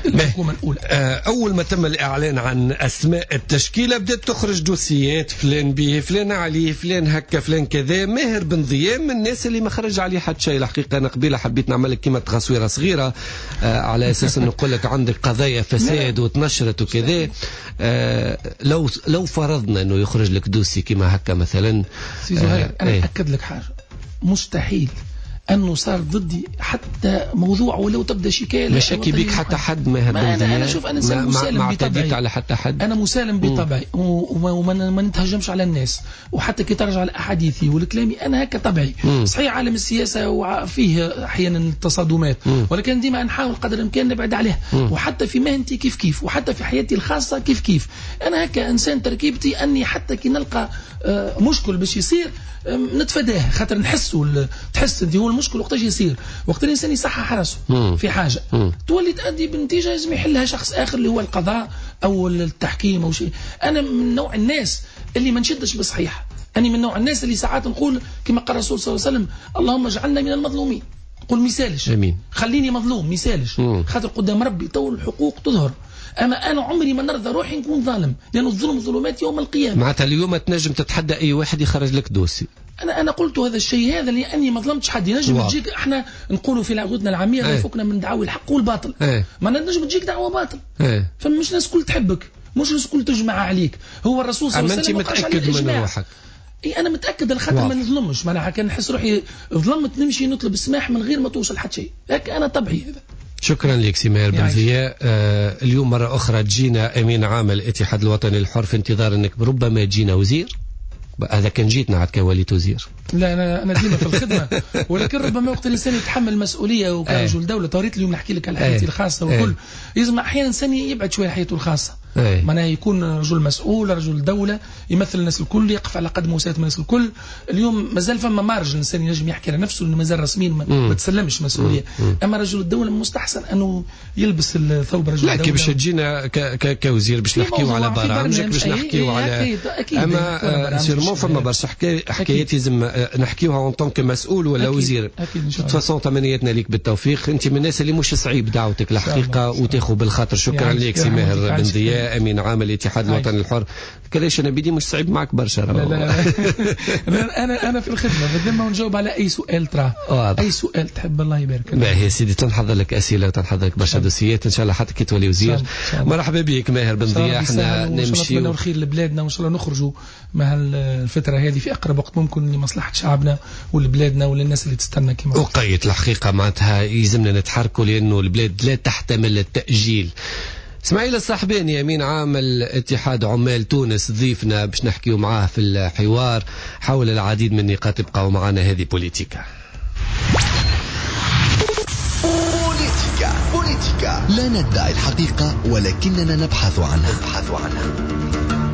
الحكومة الأولى. أول ما تم الإعلان عن أسماء التشكيلة بدأت تخرج دوسيات، فلان به، فلان عليه، فلان هكا، فلان كذا. ماهر بن ضياء من الناس اللي ما خرج عليه حتى شيء الحقيقة. أنا قبيلة حبيت نعمل لك كيما تصويرة صغيرة على أساس أنه نقول لك عندك قضايا فساد وتنشرت وكذا. لو لو فرضنا أنه يخرج لك dossier كيما هكا مثلا، سي زهير أنا أكد لك حاجة، مستحيل أنه صار ضدي حتى موضوع ولو تبدأ شكاية. ما شكي بك حتى حد ما ما أنا, أنا شوف أنا إنسان مسالم ما بطبعي، على حتى حد. أنا مسالم بطبعي وما ما نتهجمش على الناس، وحتى كي ترجع لأحاديثي ولكلامي أنا هكا طبعي. مم. صحيح عالم السياسة وفيه أحيانا التصادمات، ولكن ديما نحاول قدر الإمكان نبعد عليها. مم. وحتى في مهنتي كيف كيف، وحتى في حياتي الخاصة كيف كيف. أنا هكا إنسان تركيبتي أني حتى كي نلقى مشكل باش يصير نتفاداه، خاطر نحسه. تحس انت هو المشكل وقتاش يصير؟ وقت الانسان يصحح راسه في حاجة. مم. تولي تؤدي بنتيجة لازم يحلها شخص اخر اللي هو القضاء او التحكيم او شيء. انا من نوع الناس اللي ما نشدش بصحيح، انا من نوع الناس اللي ساعات نقول كما قال الرسول صلى الله عليه وسلم اللهم اجعلنا من المظلومين. قول مثالش، امين، خليني مظلوم مثالش، خاطر قدام ربي تو الحقوق تظهر. اما انا عمري ما نرضى روحي نكون ظالم، لأن الظلم ظلمات يوم القيامة. معناتها اليوم تنجم تتحدى اي واحد يخرج لك dossier. انا انا قلت هذا الشيء هذا لاني ما ظلمتش حد. ينجم تجيك، احنا نقولوا في لغتنا العامية لا يفكنا من دعاوي الحق والباطل. ما نجم تجيك دعوه باطل. ايه. فمش الناس الكل تحبك، مش الناس الكل تجمع عليك. هو الرسول صلى الله عليه وسلم. انت متاكد من روحك؟ اي انا متاكد، الخاطر ما نظلمش. معناها كان نحس روحي ظلمت نمشي نطلب السماح من غير ما توصل حتى شيء. هكا انا طبعي هذا. شكرا لك سي ماهر بن ضياء. آه اليوم مرة أخرى تجينا أمين عام الاتحاد الوطني الحر، في انتظار أنك ربما تجينا وزير. هذا كان جيتنا عاد كوليت وزير. لا أنا أنا ديما في الخدمة، ولكن ربما وقت الإنسان يتحمل مسؤولية وكرجل دولة. طريت اليوم نحكي لك على حياتي الخاصة وكل، لازم أحيانا الإنسان يبعد شوية حياته الخاصة. معناها يكون رجل مسؤول، رجل دولة، يمثل الناس الكل، يقف على قدم وساعة الناس الكل. اليوم مازال فما marge الإنسان ينجم يحكي على نفسه، لأنه مازال رسميا ما تسلمش مسؤولية. أما رجل الدولة مستحسن أنه يلبس الثوب رجل الدولة. لا كي باش تجينا كوزير باش نحكيو على برامجك، باش نحكيو على، أما sûrement فما برشا حكايات لازم نحكيوها en tant que مسؤول ولا وزير. façon تمنياتنا ليك بالتوفيق. انت من الناس اللي مش صعيب دعوتك الحقيقة وتاخذ بالخاطر. شكرا لك سي ماهر بن ضياء امين عام الاتحاد الوطني الحر. كلاش انا بيدي مش صعيب معك برشا. لا لا انا انا في الخدمة بالذمه ونجاوب على اي سؤال تراه، اي سؤال تحب. الله يبارك. باهي يا سيدي، تنحضر لك اسئلة وتنحضر لك برشا دوسيات ان شاء الله حتى كي تولي وزير. مرحبا بك ماهر بن ضياء. احنا نمشيو الخير لبلادنا وان شاء الله نخرجوا مع الفترة هذه في اقرب وقت ممكن لمصلحة شعبنا ولبلادنا وللناس اللي تستنى كما وقيت الحقيقة. معناتها يلزمنا نتحركوا لانه البلاد لا تحتمل التاجيل. اسماعيل الصحباني امين عام الاتحاد عمال تونس ضيفنا باش نحكيو معاه في الحوار حول العديد من النقاط. تبقاو معنا، هذه بوليتيكا. بوليتيكا بوليتيكا لا ندعي الحقيقة ولكننا نبحث عنها. نبحث عنها.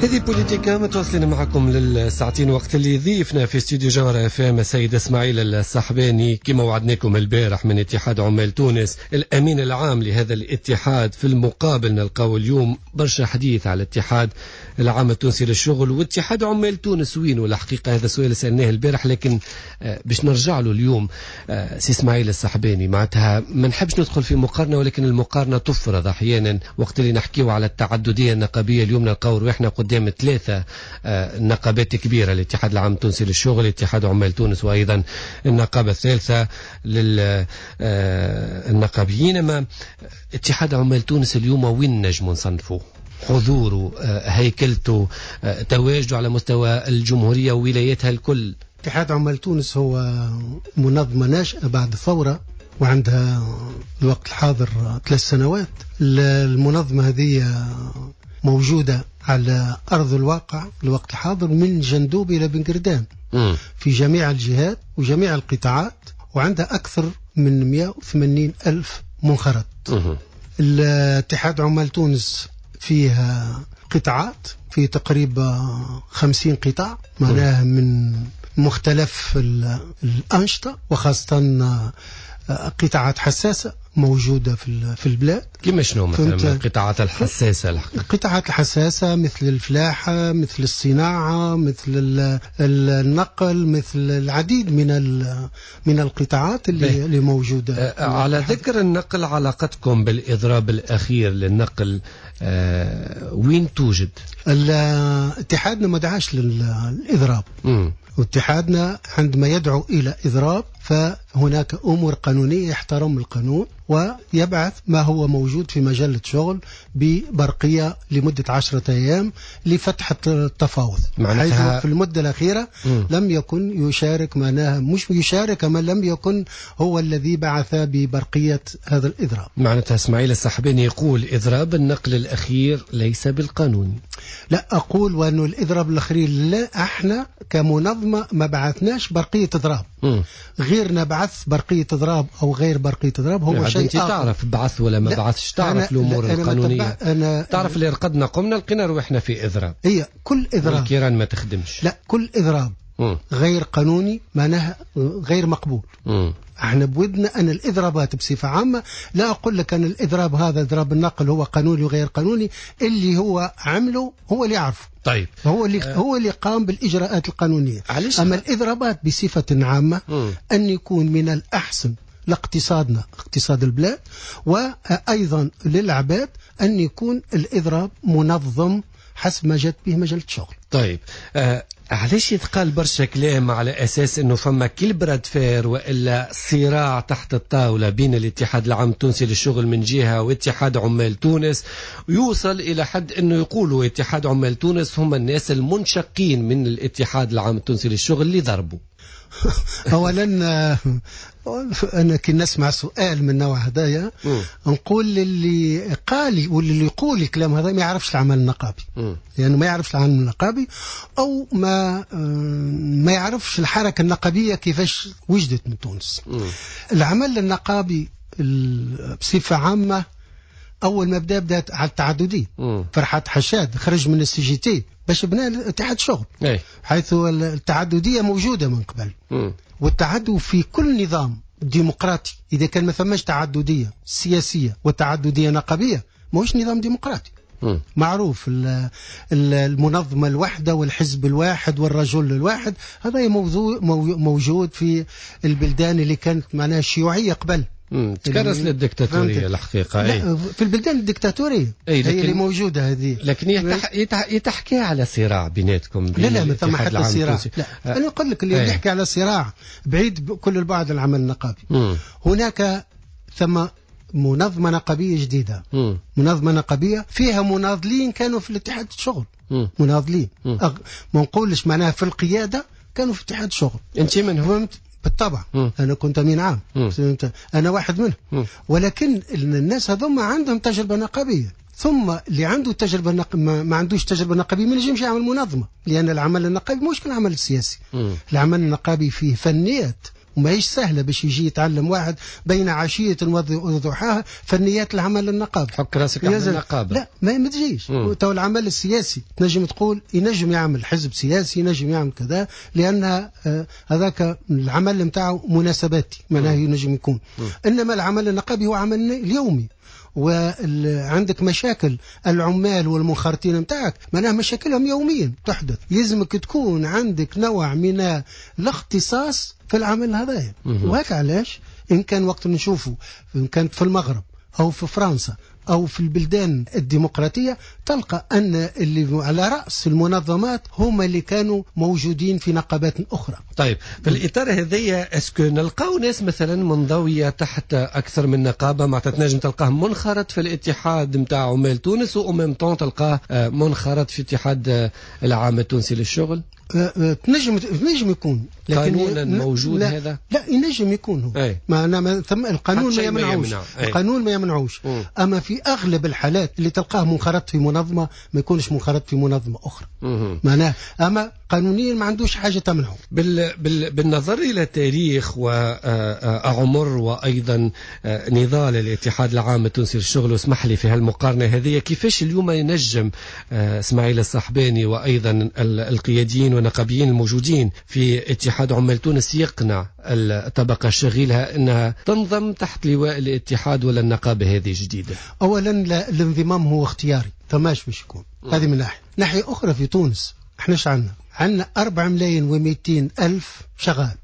هذه بوليتيكا، متواصلين معكم للساعتين وقت اللي ضيفنا في استوديو جوهرة اف ام السيد اسماعيل السحباني كما وعدناكم البارح من اتحاد عمال تونس، الامين العام لهذا الاتحاد. في المقابل نلقاو اليوم برشا حديث على الاتحاد العام التونسي للشغل واتحاد عمال تونس وين. والحقيقة هذا سؤال سالناه البارح لكن باش نرجع له اليوم. سي اسماعيل السحباني، معناتها ما نحبش ندخل في مقارنة ولكن المقارنة تفرض احيانا وقت اللي نحكيو على التعددية النقابيه. اليوم نلقاو روحنا قدام ثلاثة نقابات كبيرة، الاتحاد العام التونسي للشغل، اتحاد عمال تونس، وأيضا النقابة الثالثة للنقابيين. ما اتحاد عمال تونس اليوم وين نجم نصنفه؟ حضوره، هيكلته، تواجده على مستوى الجمهورية وولاياتها الكل. اتحاد عمال تونس هو منظمة ناشئة بعد الثورة وعندها الوقت الحاضر ثلاث سنوات. المنظمة هذه موجودة على أرض الواقع الوقت الحاضر من جندوب إلى بنقردان في جميع الجهات وجميع القطاعات، وعندها أكثر من مئة وثمانين ألف منخرط. الاتحاد عمال تونس فيها قطاعات، في تقريبا خمسين قطاع، معناها من مختلف الأنشطة وخاصة قطاعات حساسة موجودة في في البلاد. كما شنو مثلا القطاعات الحساسة؟ القطاعات الحساسة مثل الفلاحة، مثل الصناعة، مثل النقل، مثل العديد من من القطاعات اللي اللي موجودة. على ذكر النقل، علاقتكم بالإضراب الأخير للنقل آه وين توجد؟ اتحادنا ما دعاش للإضراب. واتحادنا عندما يدعو إلى إضراب فهناك أمور قانونية، يحترم القانون ويبعث ما هو موجود في مجلة شغل ببرقية لمدة عشرة أيام لفتح التفاوض. حيث في المدة الأخيرة م. لم يكن يشارك، معناها مش يشارك، ما لم يكن هو الذي بعث ببرقية هذا الإضراب. معناتها اسماعيل السحباني يقول إضراب النقل الأخير ليس بالقانون. لا أقول وأنه الإضراب الأخير لا، احنا كمنظمة ما بعثناش برقية إضراب. م. غير نبعث برقية إضراب أو غير برقية إضراب هو شيء أنت تعرف بعث ولا ما بعثش، تعرف الأمور القانونية. أنا تعرف اللي رقدنا قمنا لقينا روحنا في إضراب. هي كل إضراب الكيران ما تخدمش. لا، كل إضراب م. غير قانوني معناها غير مقبول. م. احنا بودنا أن الإضرابات بصفة عامة، لا أقول لك أن الإضراب هذا إضراب النقل هو قانوني وغير قانوني، اللي هو عمله هو اللي يعرفه. طيب هو اللي آه. هو اللي قام بالإجراءات القانونية. أما الإضرابات بصفة عامة م. أن يكون من الأحسن لاقتصادنا، اقتصاد البلاد، وأيضا للعباد أن يكون الإضراب منظم حسب ما جات به مجلة الشغل. طيب آه علاش يتقال برشا كلام على أساس أنه فما كل bras de fer وإلا صراع تحت الطاولة بين الاتحاد العام التونسي للشغل من جهة واتحاد عمال تونس، يوصل إلى حد أنه يقولوا اتحاد عمال تونس هم الناس المنشقين من الاتحاد العام التونسي للشغل اللي ضربوا؟ أولا أنا كي نسمع سؤال من نوع هدايا نقول للي قال واللي يقول الكلام هذا ما يعرفش العمل النقابي، لأنه يعني ما يعرفش العمل النقابي أو ما ما يعرفش الحركة النقابية كيفاش وجدت من تونس. م. العمل النقابي بصفة عامة أول ما بدأ بدأت على التعددية. فرحات حشاد خرج من ال CGT باش بنى اتحاد شغل، أي. حيث التعددية موجودة من قبل. م. والتعدد في كل نظام ديمقراطي، إذا كان ما ثماش تعددية سياسية وتعددية نقابية ماهوش نظام ديمقراطي. م. معروف المنظمة الواحدة والحزب الواحد والرجل الواحد، هذا موضوع موجود في البلدان اللي كانت معناها شيوعية قبل. تكرس للدكتاتورية الحقيقة. لا، في البلدان الدكتاتورية هي اللي موجودة هذه. لكن يتح... يتح... يتحكي على صراع بيناتكم. لا لا، ما ثم حتى صراع. لا أه. أنا أقول لك اللي أي. يحكي على صراع بعيد كل البعد العمل النقابي. مم. هناك ثم منظمة نقابية جديدة. مم. منظمة نقابية فيها مناضلين كانوا في الاتحاد الشغل. مم. مناضلين أغ... ما نقولش معناها في القيادة، كانوا في اتحاد الشغل. أنت من فهمت؟ بالطبع. مم. أنا كنت أمين عام. مم. أنا واحد منهم. مم. ولكن الناس هذوما عندهم تجربة نقابية، ثم اللي عنده تجربة نق... ما... ما عندوش تجربة نقابية ما ينجمش يعمل منظمة، لأن العمل النقابي مش كالعمل السياسي. مم. العمل النقابي فيه فنيات وماهيش سهلة باش يجي يتعلم واحد بين عشية وضحاها فنيات العمل النقابي. حك راسك على النقابة. لا ما تجيش. تو العمل السياسي تنجم تقول ينجم يعمل حزب سياسي، ينجم يعمل كذا، لأن هذاك العمل نتاعو مناسباتي معناه ينجم يكون. مم. إنما العمل النقابي هو عمل اليومي، وعندك مشاكل العمال والمنخرطين نتاعك معناها مشاكلهم يوميا تحدث، يلزمك تكون عندك نوع من الاختصاص في العمل هذايا. وهكا علاش إن كان وقت نشوفه إن كانت في المغرب أو في فرنسا أو في البلدان الديمقراطية تلقى أن اللي على رأس المنظمات هم اللي كانوا موجودين في نقابات أخرى. طيب في الإطار هذيا est-ce que نلقاو ناس مثلا منضوية تحت أكثر من نقابة، معناتها تنجم تلقاه منخرط في الاتحاد نتاع عمال تونس و même temps تلقاه منخرط في اتحاد العام التونسي للشغل؟ تنجم تنجم يكون، لكن قانونا موجود لا هذا؟ لا ينجم يكون هو. أي. ما أنا ثم القانون ما يمنعوش، يمنع. القانون ما يمنعوش. مم. أما في أغلب الحالات اللي تلقاه منخرط في منظمة ما يكونش منخرط في منظمة أخرى. معناه أما قانونيا ما عندوش حاجة تمنعه. بال بال بالنظر إلى تاريخ وعمر وأيضا نضال الاتحاد العام التونسي للشغل، واسمح لي في هالمقارنة هذه، كيفاش اليوم ينجم اسماعيل الصحباني وأيضا القياديين والنقابيين الموجودين في اتحاد عمال تونس يقنع الطبقة الشغيلة أنها تنضم تحت لواء الاتحاد ولا النقابة هذه الجديدة؟ أولا الانضمام هو اختياري، فماش باش يكون. هذه من ناحية. ناحية أخرى في تونس احنا ايش عندنا؟ عندنا أربعة ملايين ومئتين ألف شغال،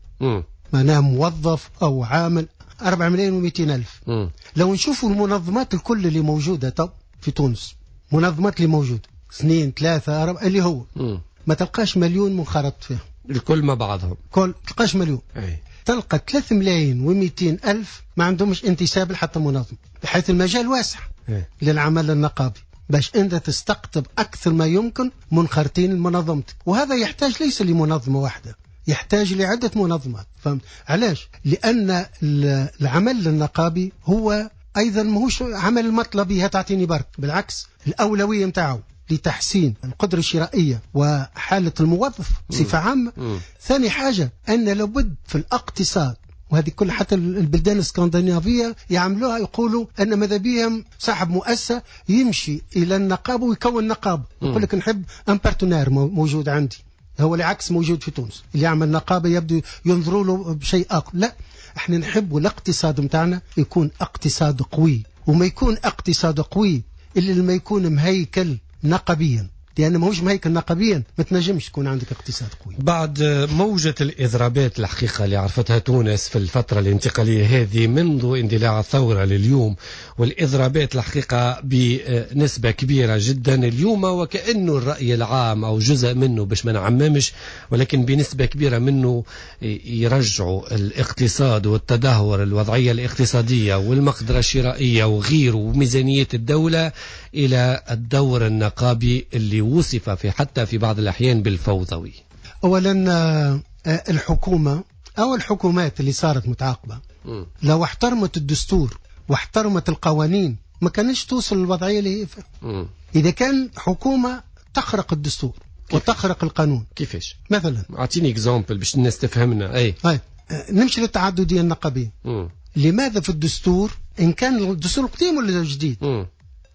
معناها موظف أو عامل، أربعة ملايين ومئتين ألف. مم. لو نشوفوا المنظمات الكل اللي موجودة طب في تونس، منظمات اللي موجودة اثنين ثلاثة أربعة اللي هو مم. ما تلقاش مليون منخرط فيها الكل مع بعضهم، كل تلقاش مليون. أي. تلقى ثلاثة ملايين ومئتين ألف ما عندهمش انتساب لحتى منظمة، بحيث المجال واسع أي. للعمل النقابي باش انت تستقطب اكثر ما يمكن منخرطين لمنظمتك. وهذا يحتاج ليس لمنظمة واحدة، يحتاج لعدة منظمات. فهمت علاش؟ لان العمل النقابي هو ايضا ماهوش عمل مطلبي تعطيني برك، بالعكس الاولوية نتاعو لتحسين القدرة الشرائية وحاله الموظف بصفة عامة. ثاني حاجة ان لابد في الاقتصاد، وهذه كل حتى البلدان الاسكندنافية يعملوها، يقولوا أن ماذا بهم صاحب مؤسسة يمشي إلى النقابة ويكون نقابة، يقول لك نحب un partenaire موجود عندي. هو العكس موجود في تونس، اللي يعمل نقابة يبدو ينظروا له بشيء آخر. لا، احنا نحب الاقتصاد متاعنا يكون اقتصاد قوي، وما يكون اقتصاد قوي إلا لما يكون مهيكل نقابيا، لأن ماهوش مهيكل نقابيا ما تنجمش تكون عندك اقتصاد قوي. بعد موجة الإضرابات الحقيقة اللي عرفتها تونس في الفترة الانتقالية هذه منذ اندلاع الثورة لليوم، والإضرابات الحقيقة بنسبة كبيرة جدا اليوم، وكأنه الرأي العام أو جزء منه باش ما نعممش، ولكن بنسبة كبيرة منه يرجعوا الاقتصاد والتدهور الوضعية الاقتصادية والمقدرة الشرائية وغيره وميزانية الدولة إلى الدور النقابي اللي وصف في حتى في بعض الأحيان بالفوضوي. أولا الحكومة أو الحكومات اللي صارت متعاقبة م. لو احترمت الدستور واحترمت القوانين ما كانش توصل للوضعية اللي هي فيها. إذا كان حكومة تخرق الدستور كيف؟ وتخرق القانون. كيفاش؟ مثلا أعطيني exemple باش الناس تفهمنا. أي أي. نمشي للتعددية النقابية. م. لماذا في الدستور، إن كان الدستور القديم ولا الجديد؟ م.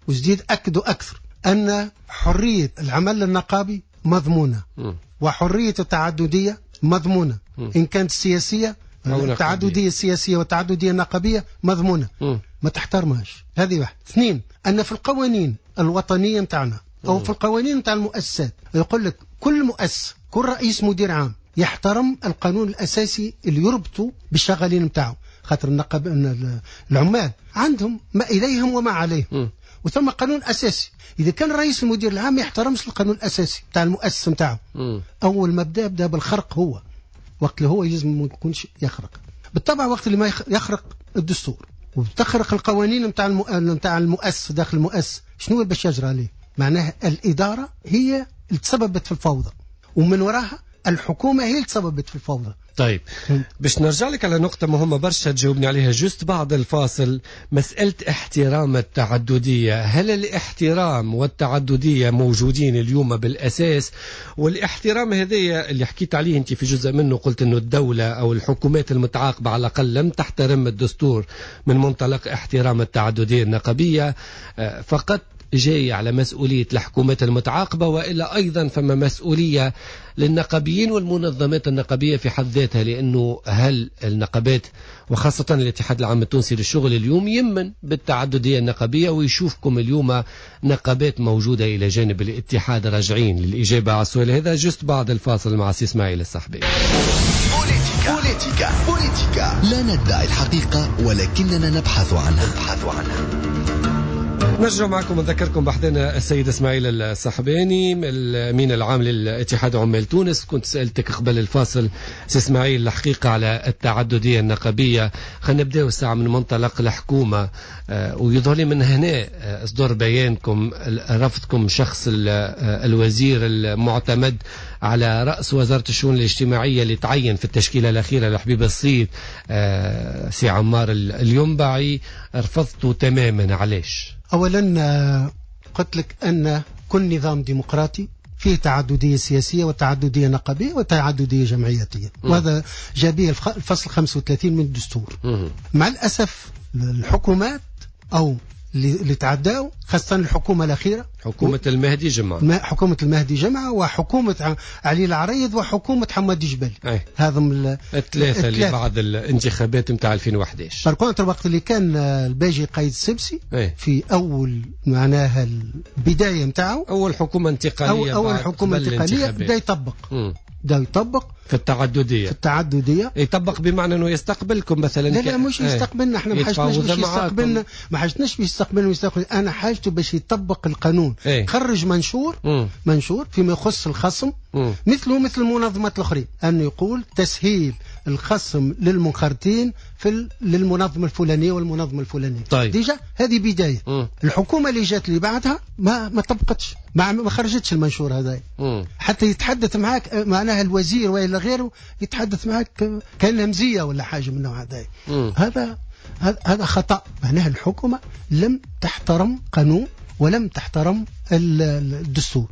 والجديد أكدوا أكثر أن حرية العمل النقابي مضمونة، م. وحرية التعددية مضمونة، م. إن كانت السياسية التعددية السياسية والتعددية النقابية مضمونة. م. ما تحترمهاش. هذه واحد. اثنين، أن في القوانين الوطنية متاعنا أو م. في القوانين متاع المؤسسات يقول لك كل مؤسسة، كل رئيس مدير عام يحترم القانون الأساسي اللي يربطه بالشغالين متاعه، خاطر النقاب العمال عندهم ما إليهم وما عليهم. م. وثم قانون أساسي. إذا كان رئيس المدير العام ما يحترمش القانون الأساسي بتاع المؤسسة نتاعه، أول ما بدأ بدأ بالخرق هو، وقت اللي هو يلزم ما يكونش يخرق. بالطبع وقت اللي ما يخرق الدستور وتخرق القوانين نتاع نتاع المؤسسة داخل المؤسسة، شنو باش يجرى عليه؟ معناها الإدارة هي اللي تسببت في الفوضى، ومن وراها الحكومة هي اللي تسببت في الفوضى. طيب باش نرجع لك على نقطة مهمة برشا تجاوبني عليها juste بعد الفاصل، مسألة احترام التعددية. هل الاحترام والتعددية موجودين اليوم بالأساس؟ والاحترام هذايا اللي حكيت عليه أنت في جزء منه، قلت أنه الدولة أو الحكومات المتعاقبة على الأقل لم تحترم الدستور من منطلق احترام التعددية النقابية، فقط جاي على مسؤولية الحكومات المتعاقبة، وإلا أيضا فما مسؤولية للنقابيين والمنظمات النقابية في حد ذاتها؟ لأنه هل النقابات وخاصة الاتحاد العام التونسي للشغل اليوم يمن بالتعددية النقابية ويشوفكم اليوم نقابات موجودة إلى جانب الاتحاد؟ راجعين للإجابة على السؤال هذا juste بعد الفاصل مع سي إسماعيل الصحبي. بوليتيكا بوليتيكا بوليتيكا، لا ندعي الحقيقة ولكننا نبحث عنها. نبحث عنها. نرجع معكم ونذكركم بحثنا السيد اسماعيل الصحباني الامين العام للاتحاد عمال تونس. كنت سالتك قبل الفاصل سي اسماعيل الحقيقة على التعددية النقابيه. خلينا نبداو الساعة من منطلق الحكومة، ويظهر لي من هنا اصدر بيانكم رفضكم شخص الوزير المعتمد على راس وزارة الشؤون الاجتماعية اللي تعين في التشكيلة الاخيرة لحبيب الصيد سي عمار الينبعي، رفضته تماما. علاش؟ أولا قلت لك أن كل نظام ديمقراطي فيه تعددية سياسية وتعددية نقابية وتعددية جمعياتية، وهذا جاء به الفصل خمسة وثلاثين من الدستور. مم. مع الأسف الحكومات أو اللي تعداوا، خاصة الحكومة الأخيرة، حكومة و... المهدي جمعة، حكومة المهدي جمعة وحكومة علي العريض وحكومة حماد جبل، هذا من الثلاثة اللي بعد الانتخابات نتاع ألفين وأحد عشر. par contre وقت اللي كان الباجي قايد السبسي في أول معناها البداية نتاعو، أول حكومة انتقالية، أول, أول حكومة انتقالية بدا يطبق بدا يطبق في التعددية، في التعددية يطبق بمعنى انه يستقبلكم مثلا. لا لا مش يستقبلنا، احنا ما حاجتناش باش يستقبلنا، ما حاجتناش باش يستقبلنا ويستقبل، انا حاجته باش يطبق القانون. ايه؟ خرج منشور، مم. منشور فيما يخص الخصم، مم. مثله مثل المنظمات الاخرين، انه يقول تسهيل الخصم للمنخرطين في للمنظمة الفلانية والمنظمه الفلانية. طيب. déjà هذه بداية. مم. الحكومة اللي جات اللي بعدها ما ما طبقتش، ما ما خرجتش المنشور هذا. حتى يتحدث معك معناها الوزير ولا غيره يتحدث معك كان همزيه ولا حاجة من النوع هذا. هذا هذا خطا، معناها الحكومة لم تحترم قانون ولم تحترم الدستور.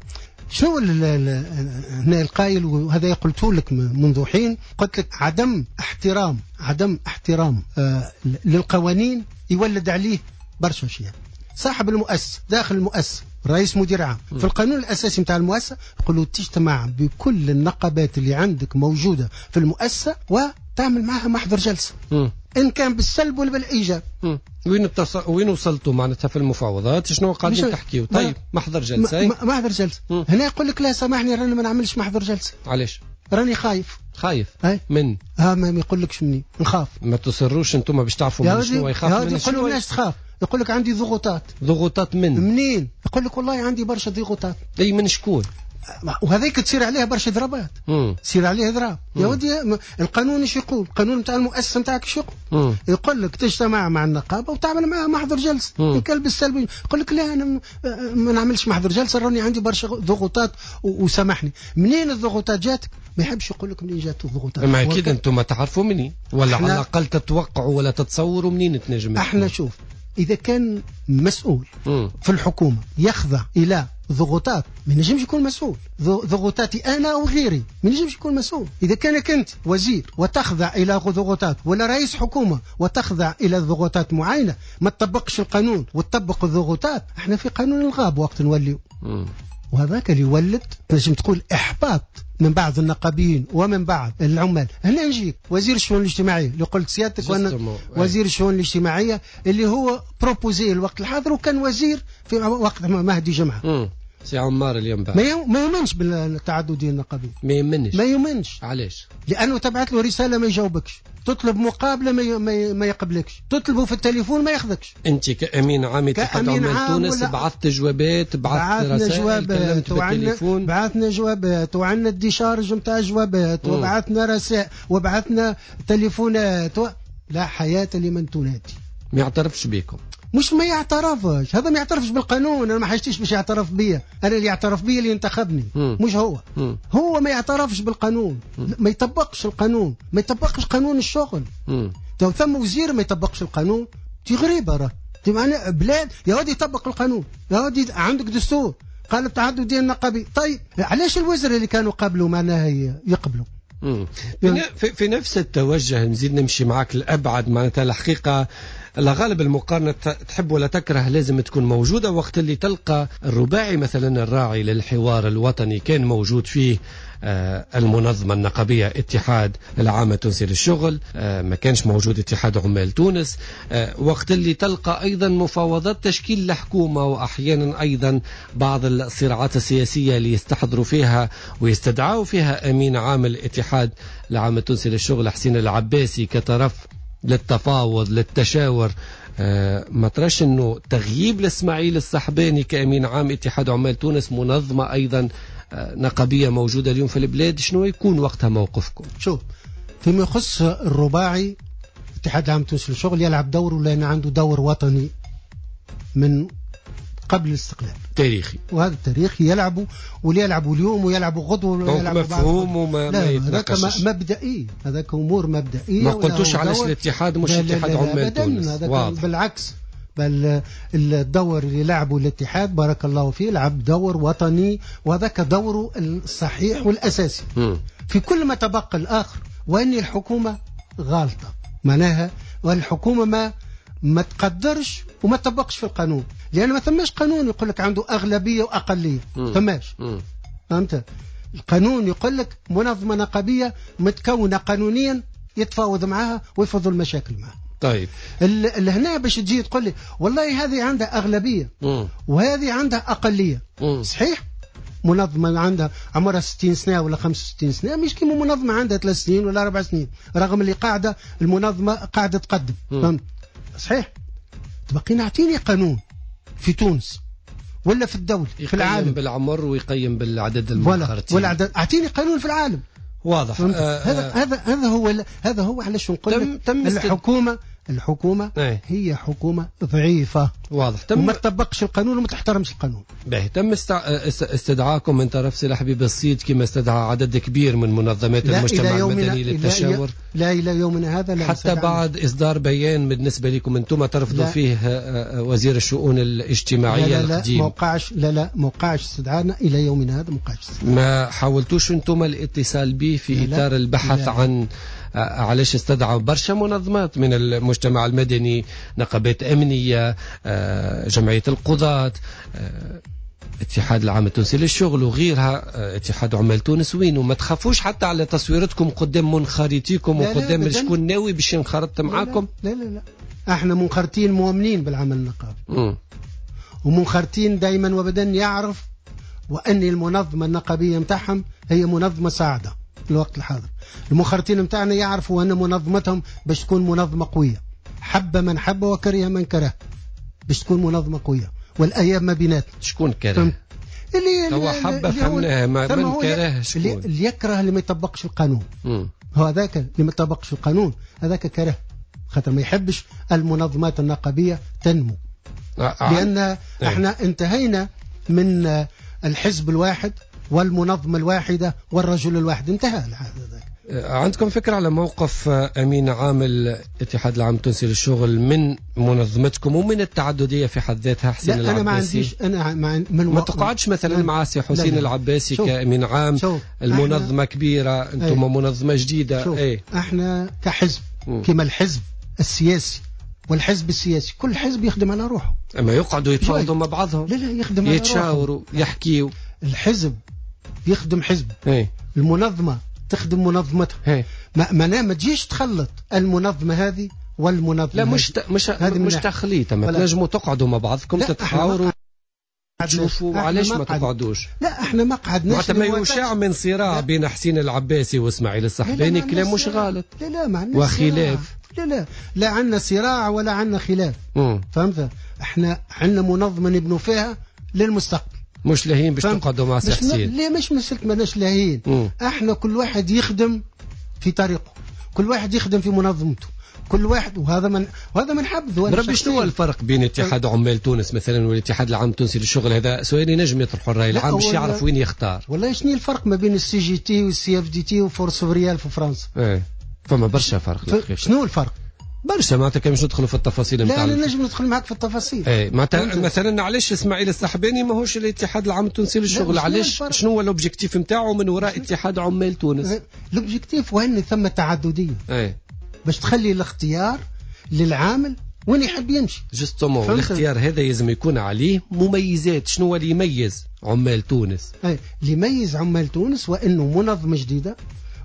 شنو هنا القائل، وهذا قلت لك منذ حين، قلت لك عدم احترام عدم احترام آه للقوانين يولد عليه برشا اشياء. صاحب المؤسسة داخل المؤسسة رئيس مدير عام في القانون الاساسي نتاع المؤسسة يقولوا تجتمع بكل النقابات اللي عندك موجودة في المؤسسة وتعمل معها محضر جلسه، م. ان كان بالسلب ولا بالايجاب. م. وين التص... وين وصلتوا معناتها في المفاوضات؟ شنو قاعدين تحكيوا؟ طيب محضر جلسه، م... محضر جلسه. م. هنا يقول لك لا سامحني راني ما نعملش محضر جلسه. علاش؟ راني خايف. خايف أي؟ من؟ ها ما يقولكش مني نخاف. ما تصروش انتم باش تعرفوا من شنو يخاف؟ من شنو يقولوا تخاف؟ يقول لك عندي ضغوطات. ضغوطات من؟ منين؟ يقول لك والله عندي برشا ضغوطات. اي من شكون؟ وهذيك تصير عليها برشا ضربات، تصير عليها ضراب. يا ودي القانون ايش يقول؟ القانون نتاع المؤسسة نتاعك ايش يقول؟ يقول لك تجتمع مع النقابة وتعمل معها محضر جلسه، ان كان بالسلبي يقول لك لا انا ما نعملش محضر جلسه راني عندي برشا ضغوطات وسامحني. منين الضغوطات جاتك؟ ما يحبش يقول لك منين جات الضغوطات. ما اكيد انتم تعرفوا منين، ولا على الاقل تتوقعوا ولا تتصوروا منين تنجم. احنا شوف، إذا كان مسؤول م. في الحكومة يخضع إلى ضغوطات ما ينجمش يكون مسؤول. ضغوطاتي أنا أو غيري ما ينجمش يكون مسؤول. إذا كانك أنت وزير وتخضع إلى ضغوطات، ولا رئيس حكومة وتخضع إلى ضغوطات معينة، ما تطبقش القانون وتطبق الضغوطات، احنا في قانون الغاب وقت نوليو. وهذاك اللي يولد تنجم تقول إحباط من بعض النقابيين ومن بعض العمال. هنا نجيك وزير الشؤون الاجتماعية اللي قلت سيادتك، وانا وزير الشؤون الاجتماعية اللي هو proposé الوقت الحاضر، وكان وزير في وقت مهدي جمعة. سي عمار اليوم بعد ما يؤمنش بالتعددية النقابية. ما يؤمنش. ما يؤمنش. علاش؟ لأنه تبعث له رسالة ما يجاوبكش، تطلب مقابلة ما ما, ما يقبلكش، تطلبه في التليفون ما ياخذكش. أنت كأمين عام اتحاد عمال تونس بعثت جوابات، بعثت رسائل، كلمت بالتليفون، بعثنا جوابات وعندنا ال décharge نتاع جوابات، وبعثنا رسائل وبعثنا تليفونات و... لا حياة لمن تنادي. ما يعترفش بكم. مش ما يعترفش، هذا ما يعترفش بالقانون. انا ما حاجتيش باش يعترف بيا، انا اللي يعترف بيا اللي ينتخبني، مم. مش هو. مم. هو ما يعترفش بالقانون، مم. ما يطبقش القانون، ما يطبقش قانون الشغل. تو ثم وزير ما يطبقش القانون، دي غريبة راه. دي معناها بلاد يا ودي يطبق القانون، يا ودي عندك دستور قال التعدد النقابي. طيب علاش الوزراء اللي كانوا قبلوا معناها يقبلوا؟ في, في نفس التوجه نزيد نمشي معك الأبعد. معناتها الحقيقة الغالب المقارنة تحب ولا تكره لازم تكون موجودة. وقت اللي تلقى الرباعي مثلا الراعي للحوار الوطني كان موجود فيه المنظمة النقابية اتحاد العام التونسي للشغل، ما كانش موجود اتحاد عمال تونس. وقت اللي تلقى أيضا مفاوضات تشكيل الحكومة، وأحيانا أيضا بعض الصراعات السياسية اللي يستحضروا فيها ويستدعوا فيها أمين عام الاتحاد العام التونسي للشغل حسين العباسي كطرف للتفاوض للتشاور. آه ما تراش انه تغييب لاسماعيل الصحباني كأمين عام اتحاد عمال تونس، منظمة ايضا آه نقابية موجودة اليوم في البلاد، شنو يكون وقتها موقفكم؟ شوف، فيما يخص الرباعي الاتحاد العام التونسي للشغل يلعب دوره لأن عنده دور وطني من قبل الاستقلال تاريخي، وهذا التاريخ يلعبوا واللي يلعبوا اليوم ويلعبوا غدوه ويلعبوا بعد. مفهوم وما ما يتناقشش، هذاك مبدئي، هذاك امور مبدئية. ما قلتوش علاش الاتحاد مش اتحاد عمال تونس، واضح. بالعكس، بل الدور اللي لعبه الاتحاد بارك الله فيه لعب دور وطني، وهذاك دوره الصحيح والاساسي. م. في كل ما تبقى الاخر، وان الحكومة غالطه معناها، والحكومة ما ما تقدرش وما تطبقش في القانون، لأن ما ثماش قانون يقول لك عنده أغلبية وأقلية، ثماش. فهمت؟ القانون يقول لك منظمة نقابية متكونة قانونيا يتفاوض معها ويفضوا المشاكل معها. طيب اللي هنا باش تجي تقول لي والله هذه عندها أغلبية مم. وهذه عندها أقلية. مم. صحيح؟ منظمة عندها عمرها ستين سنة ولا خمسة وستين سنة مش كيما منظمة عندها ثلاث سنين ولا أربع سنين، رغم اللي قاعدة المنظمة قاعدة تقدم. فهمت؟ صحيح. تبقي نعطيني قانون في تونس ولا في الدولة في العالم بالعمر ويقيم بالعدد المنخرطين ولا عدد، اعطيني قانون في العالم واضح. آه هذا هذا هذا هو هذا هو علاش نقول لك الحكومة الحكومة ايه. هي حكومة ضعيفة واضح. تم وما تطبقش القانون وما تحترمش القانون. باهي، تم استدعاكم من طرف سي الحبيب الصيد كما استدعى عدد كبير من منظمات المجتمع المدني للتشاور. لا إلى يومنا هذا لا، حتى بعد إصدار بيان بالنسبة لكم أنتم ترفضوا فيه وزير الشؤون الاجتماعية لا لا القديم. لا موقعش، لا لا موقعش استدعانا إلى يومنا هذا، موقعش. ما حاولتوش أنتم الاتصال به في إطار لا البحث لا عن علاش استدعوا برشا منظمات من المجتمع المدني، نقابات أمنية، جمعية القضاة، اتحاد العام التونسي للشغل وغيرها، اتحاد عمال تونس، وين؟ وما تخافوش حتى على تصويرتكم قدام منخرطيكم وقدام شكون ناوي باش ينخرط معاكم؟ لا لا لا، احنا منخرطين مؤمنين بالعمل النقابي، ومنخرطين دائما وابدا يعرف وأن المنظمة النقابية متاعهم هي منظمة صاعدة في الوقت الحاضر. المنخرطين متاعنا يعرفوا أن منظمتهم باش تكون منظمة قوية، حب من حب وكره من كره، باش تكون منظمة قوية، والأيام ما بيناتنا. شكون كره؟ اللي هو حب فهمناه، ما من كره شكون؟ اللي يكره اللي ما يطبقش القانون. مم. هو هذاك اللي ما يطبقش القانون هذاك كره، خاطر ما يحبش المنظمات النقابية تنمو. آه. لأن آه. احنا انتهينا من الحزب الواحد والمنظمة الواحدة والرجل الواحد، انتهى هذا. عندكم فكرة على موقف أمين عام الاتحاد العام التونسي للشغل من منظمتكم ومن التعددية في حد ذاتها حسين لا العباسي؟ أنا ما عنديش، أنا ما, من ما تقعدش مثلا مع سي حسين العباسي كأمين عام، المنظمة كبيرة، أنتم ايه. منظمة جديدة. ايه. احنا كحزب كما الحزب السياسي والحزب السياسي كل حزب يخدم على روحه، أما يقعدوا يتفاوضوا مع بعضهم، لا لا يخدم على يتشاوروا يحكيوا. الحزب يخدم حزب، ايه. المنظمة تخدم منظمتها. ايه. ما ما ما تجيش تخلط المنظمة هذه والمنظمة لا مش ت... مش مش تخليط، ما تنجموا تقعدوا مع بعضكم تتحاوروا تشوفوا علاش ما تقعدوش. لا احنا ما قعدناش. ما يشاع من صراع بين حسين العباسي واسماعيل الصحباني كلام مش غلط. لا لا ما عندناش وخلاف. لا لا لا عندنا صراع ولا عندنا خلاف. فهمت؟ احنا عندنا منظمة نبنوا فيها للمستقبل، مش لاهين باش تقعدوا مع سي حسين. لا مش مسألة ماناش لاهين، احنا كل واحد يخدم في طريقه، كل واحد يخدم في منظمته، كل واحد، وهذا من وهذا من حبذ. بربي شنو هو الفرق بين اتحاد عمال تونس مثلا والاتحاد العام التونسي للشغل؟ هذا سؤال ينجم يطرحه الرأي العام باش يعرف وين يختار. والله شنو الفرق ما بين ال CGT وال CFDT و Force Ouvrière في فرنسا؟ ايه فما برشا فرق. شنو الفرق؟ برشا معناتها كان مش ندخلوا في التفاصيل نتاع. لا انا نجم ندخل معك في التفاصيل. ايه معناتها مثلا علاش اسماعيل السحباني ماهوش الاتحاد العام التونسي للشغل؟ علاش؟ شنو هو l'objectif نتاعو من وراء اتحاد عمال تونس؟ l'objectif وان ثم تعددية. ايه باش تخلي الاختيار للعامل وين يحب يمشي. justement الاختيار هذا لازم يكون عليه مميزات. شنو هو اللي يميز عمال تونس؟ اي اللي يميز عمال تونس وانه منظمة جديدة،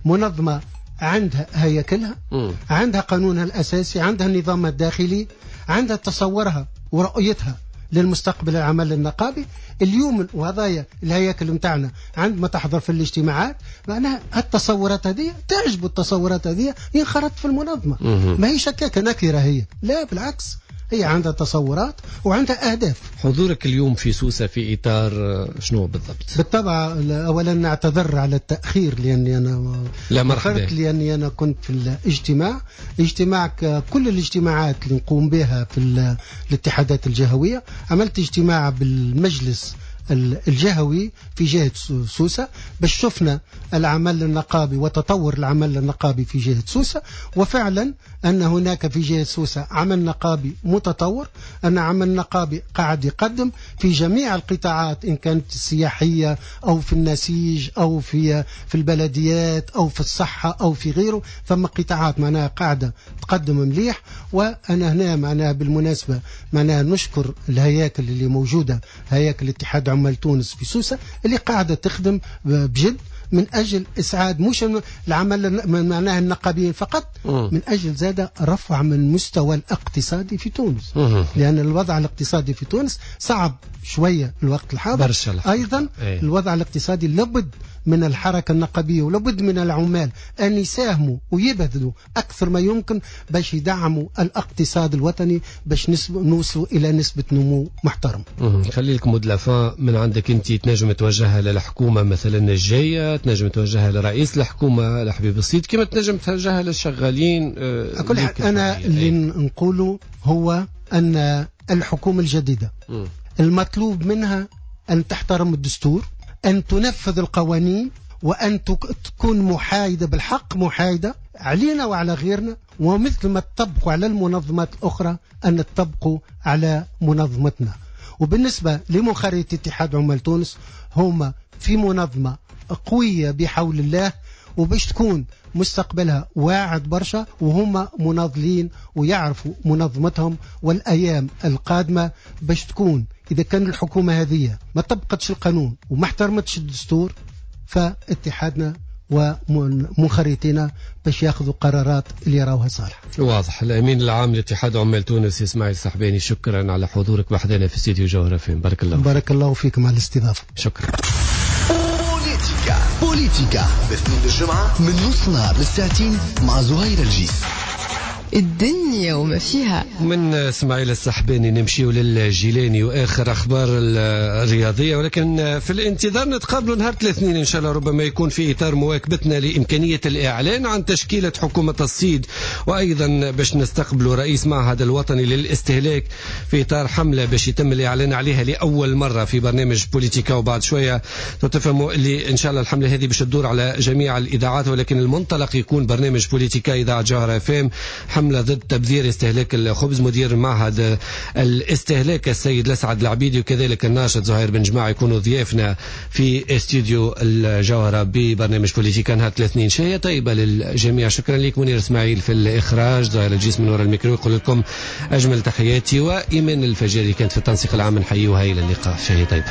منظمة عندها هياكلها، م. عندها قانونها الأساسي، عندها النظام الداخلي، عندها تصورها ورؤيتها للمستقبل العمل النقابي اليوم. وهذايا الهياكل متاعنا عندما تحضر في الاجتماعات معناها التصورات هذه تعجب، التصورات هذه ينخرط في المنظمة. ما هي شكاكة نكرة هي، لا بالعكس هي عندها تصورات وعندها أهداف. حضورك اليوم في سوسة في إطار شنو بالضبط؟ بالطبع أولا نعتذر على التأخير لأني أنا لا مرحبا، لأني أنا كنت في الاجتماع، اجتماع كل الاجتماعات اللي نقوم بها في الاتحادات الجهوية. عملت اجتماع بالمجلس الجهوي في جهة سوسة باش شفنا العمل النقابي وتطور العمل النقابي في جهة سوسة، وفعلا أن هناك في جهة سوسة عمل نقابي متطور، أن عمل نقابي قاعد يقدم في جميع القطاعات، إن كانت السياحية أو في النسيج أو في في البلديات أو في الصحة أو في غيره. ثم قطاعات معناها قاعدة تقدم مليح. وأنا هنا معناها بالمناسبة معناها نشكر الهياكل اللي موجودة، هياكل اتحاد عمال تونس في سوسة اللي قاعدة تخدم بجد من أجل إسعاد مش العمل معناها النقابيين فقط، مم. من أجل زاد رفع من مستوى الاقتصادي في تونس. مم. لأن الوضع الاقتصادي في تونس صعب شوية الوقت الحاضر. أيضا أيه. الوضع الاقتصادي لابد من الحركة النقابية ولابد من العمال أن يساهموا ويبذلوا أكثر ما يمكن باش يدعموا الاقتصاد الوطني باش نوصلوا إلى نسبة نمو محترم. خلي لك mot de la fin من عندك أنت، تنجم توجهها للحكومة مثلا الجاية، تنجم توجهها لرئيس الحكومة لحبيب الصيد، كما تنجم توجهها للشغالين. كل حال أنا اللي نقوله هو أن الحكومة الجديدة م. المطلوب منها أن تحترم الدستور، أن تنفذ القوانين، وأن تكون محايدة بالحق، محايدة علينا وعلى غيرنا، ومثل ما تطبقوا على المنظمات الأخرى أن تطبقوا على منظمتنا. وبالنسبة لمنخرطي اتحاد عمال تونس هما في منظمة قوية بحول الله، وباش تكون مستقبلها واعد برشا، وهم مناضلين ويعرفوا منظمتهم. والأيام القادمة باش تكون إذا كان الحكومة هذه ما طبقتش القانون وما احترمتش الدستور، فاتحادنا ومنخرطينا باش ياخذوا قرارات اللي يراوها صالحة. واضح. الأمين العام لاتحاد عمال تونس إسماعيل السحباني، شكرا على حضورك بحذانا في استديو جوهرة فين. بارك الله بارك الله فيكم على الاستضافة. شكرا. بوليتيكا بوليتيكا باثنين الجمعة من نص نهار للساعتين مع زهير الجيس. الدنيا وما فيها. من اسماعيل السحباني نمشيو للجيلاني واخر اخبار الرياضية، ولكن في الانتظار نتقابلوا نهار الاثنين ان شاء الله، ربما يكون في اطار مواكبتنا لامكانيه الاعلان عن تشكيله حكومة الصيد، وايضا باش نستقبلوا رئيس معهد الوطني للاستهلاك في اطار حمله باش يتم الاعلان عليها لاول مرة في برنامج بوليتيكا. وبعد شوية تفهموا اللي ان شاء الله الحملة هذه باش تدور على جميع الاذاعات، ولكن المنطلق يكون برنامج بوليتيكا اذاعة جوهرة اف ام، حملة ضد تبذير استهلاك الخبز. مدير معهد الاستهلاك السيد لسعد العبيدي وكذلك الناشط زهير بن جماعة يكونوا ضيافنا في استوديو الجوهرة ببرنامج بوليتيكا نهار الاثنين. شهية طيبة للجميع. شكرا لك منير اسماعيل في الإخراج، زهير الجيس من وراء الميكرو يقول لكم أجمل تحياتي، وإيمان الفجاري كانت في التنسيق العام. نحييها. إلى اللقاء، شهية طيبة.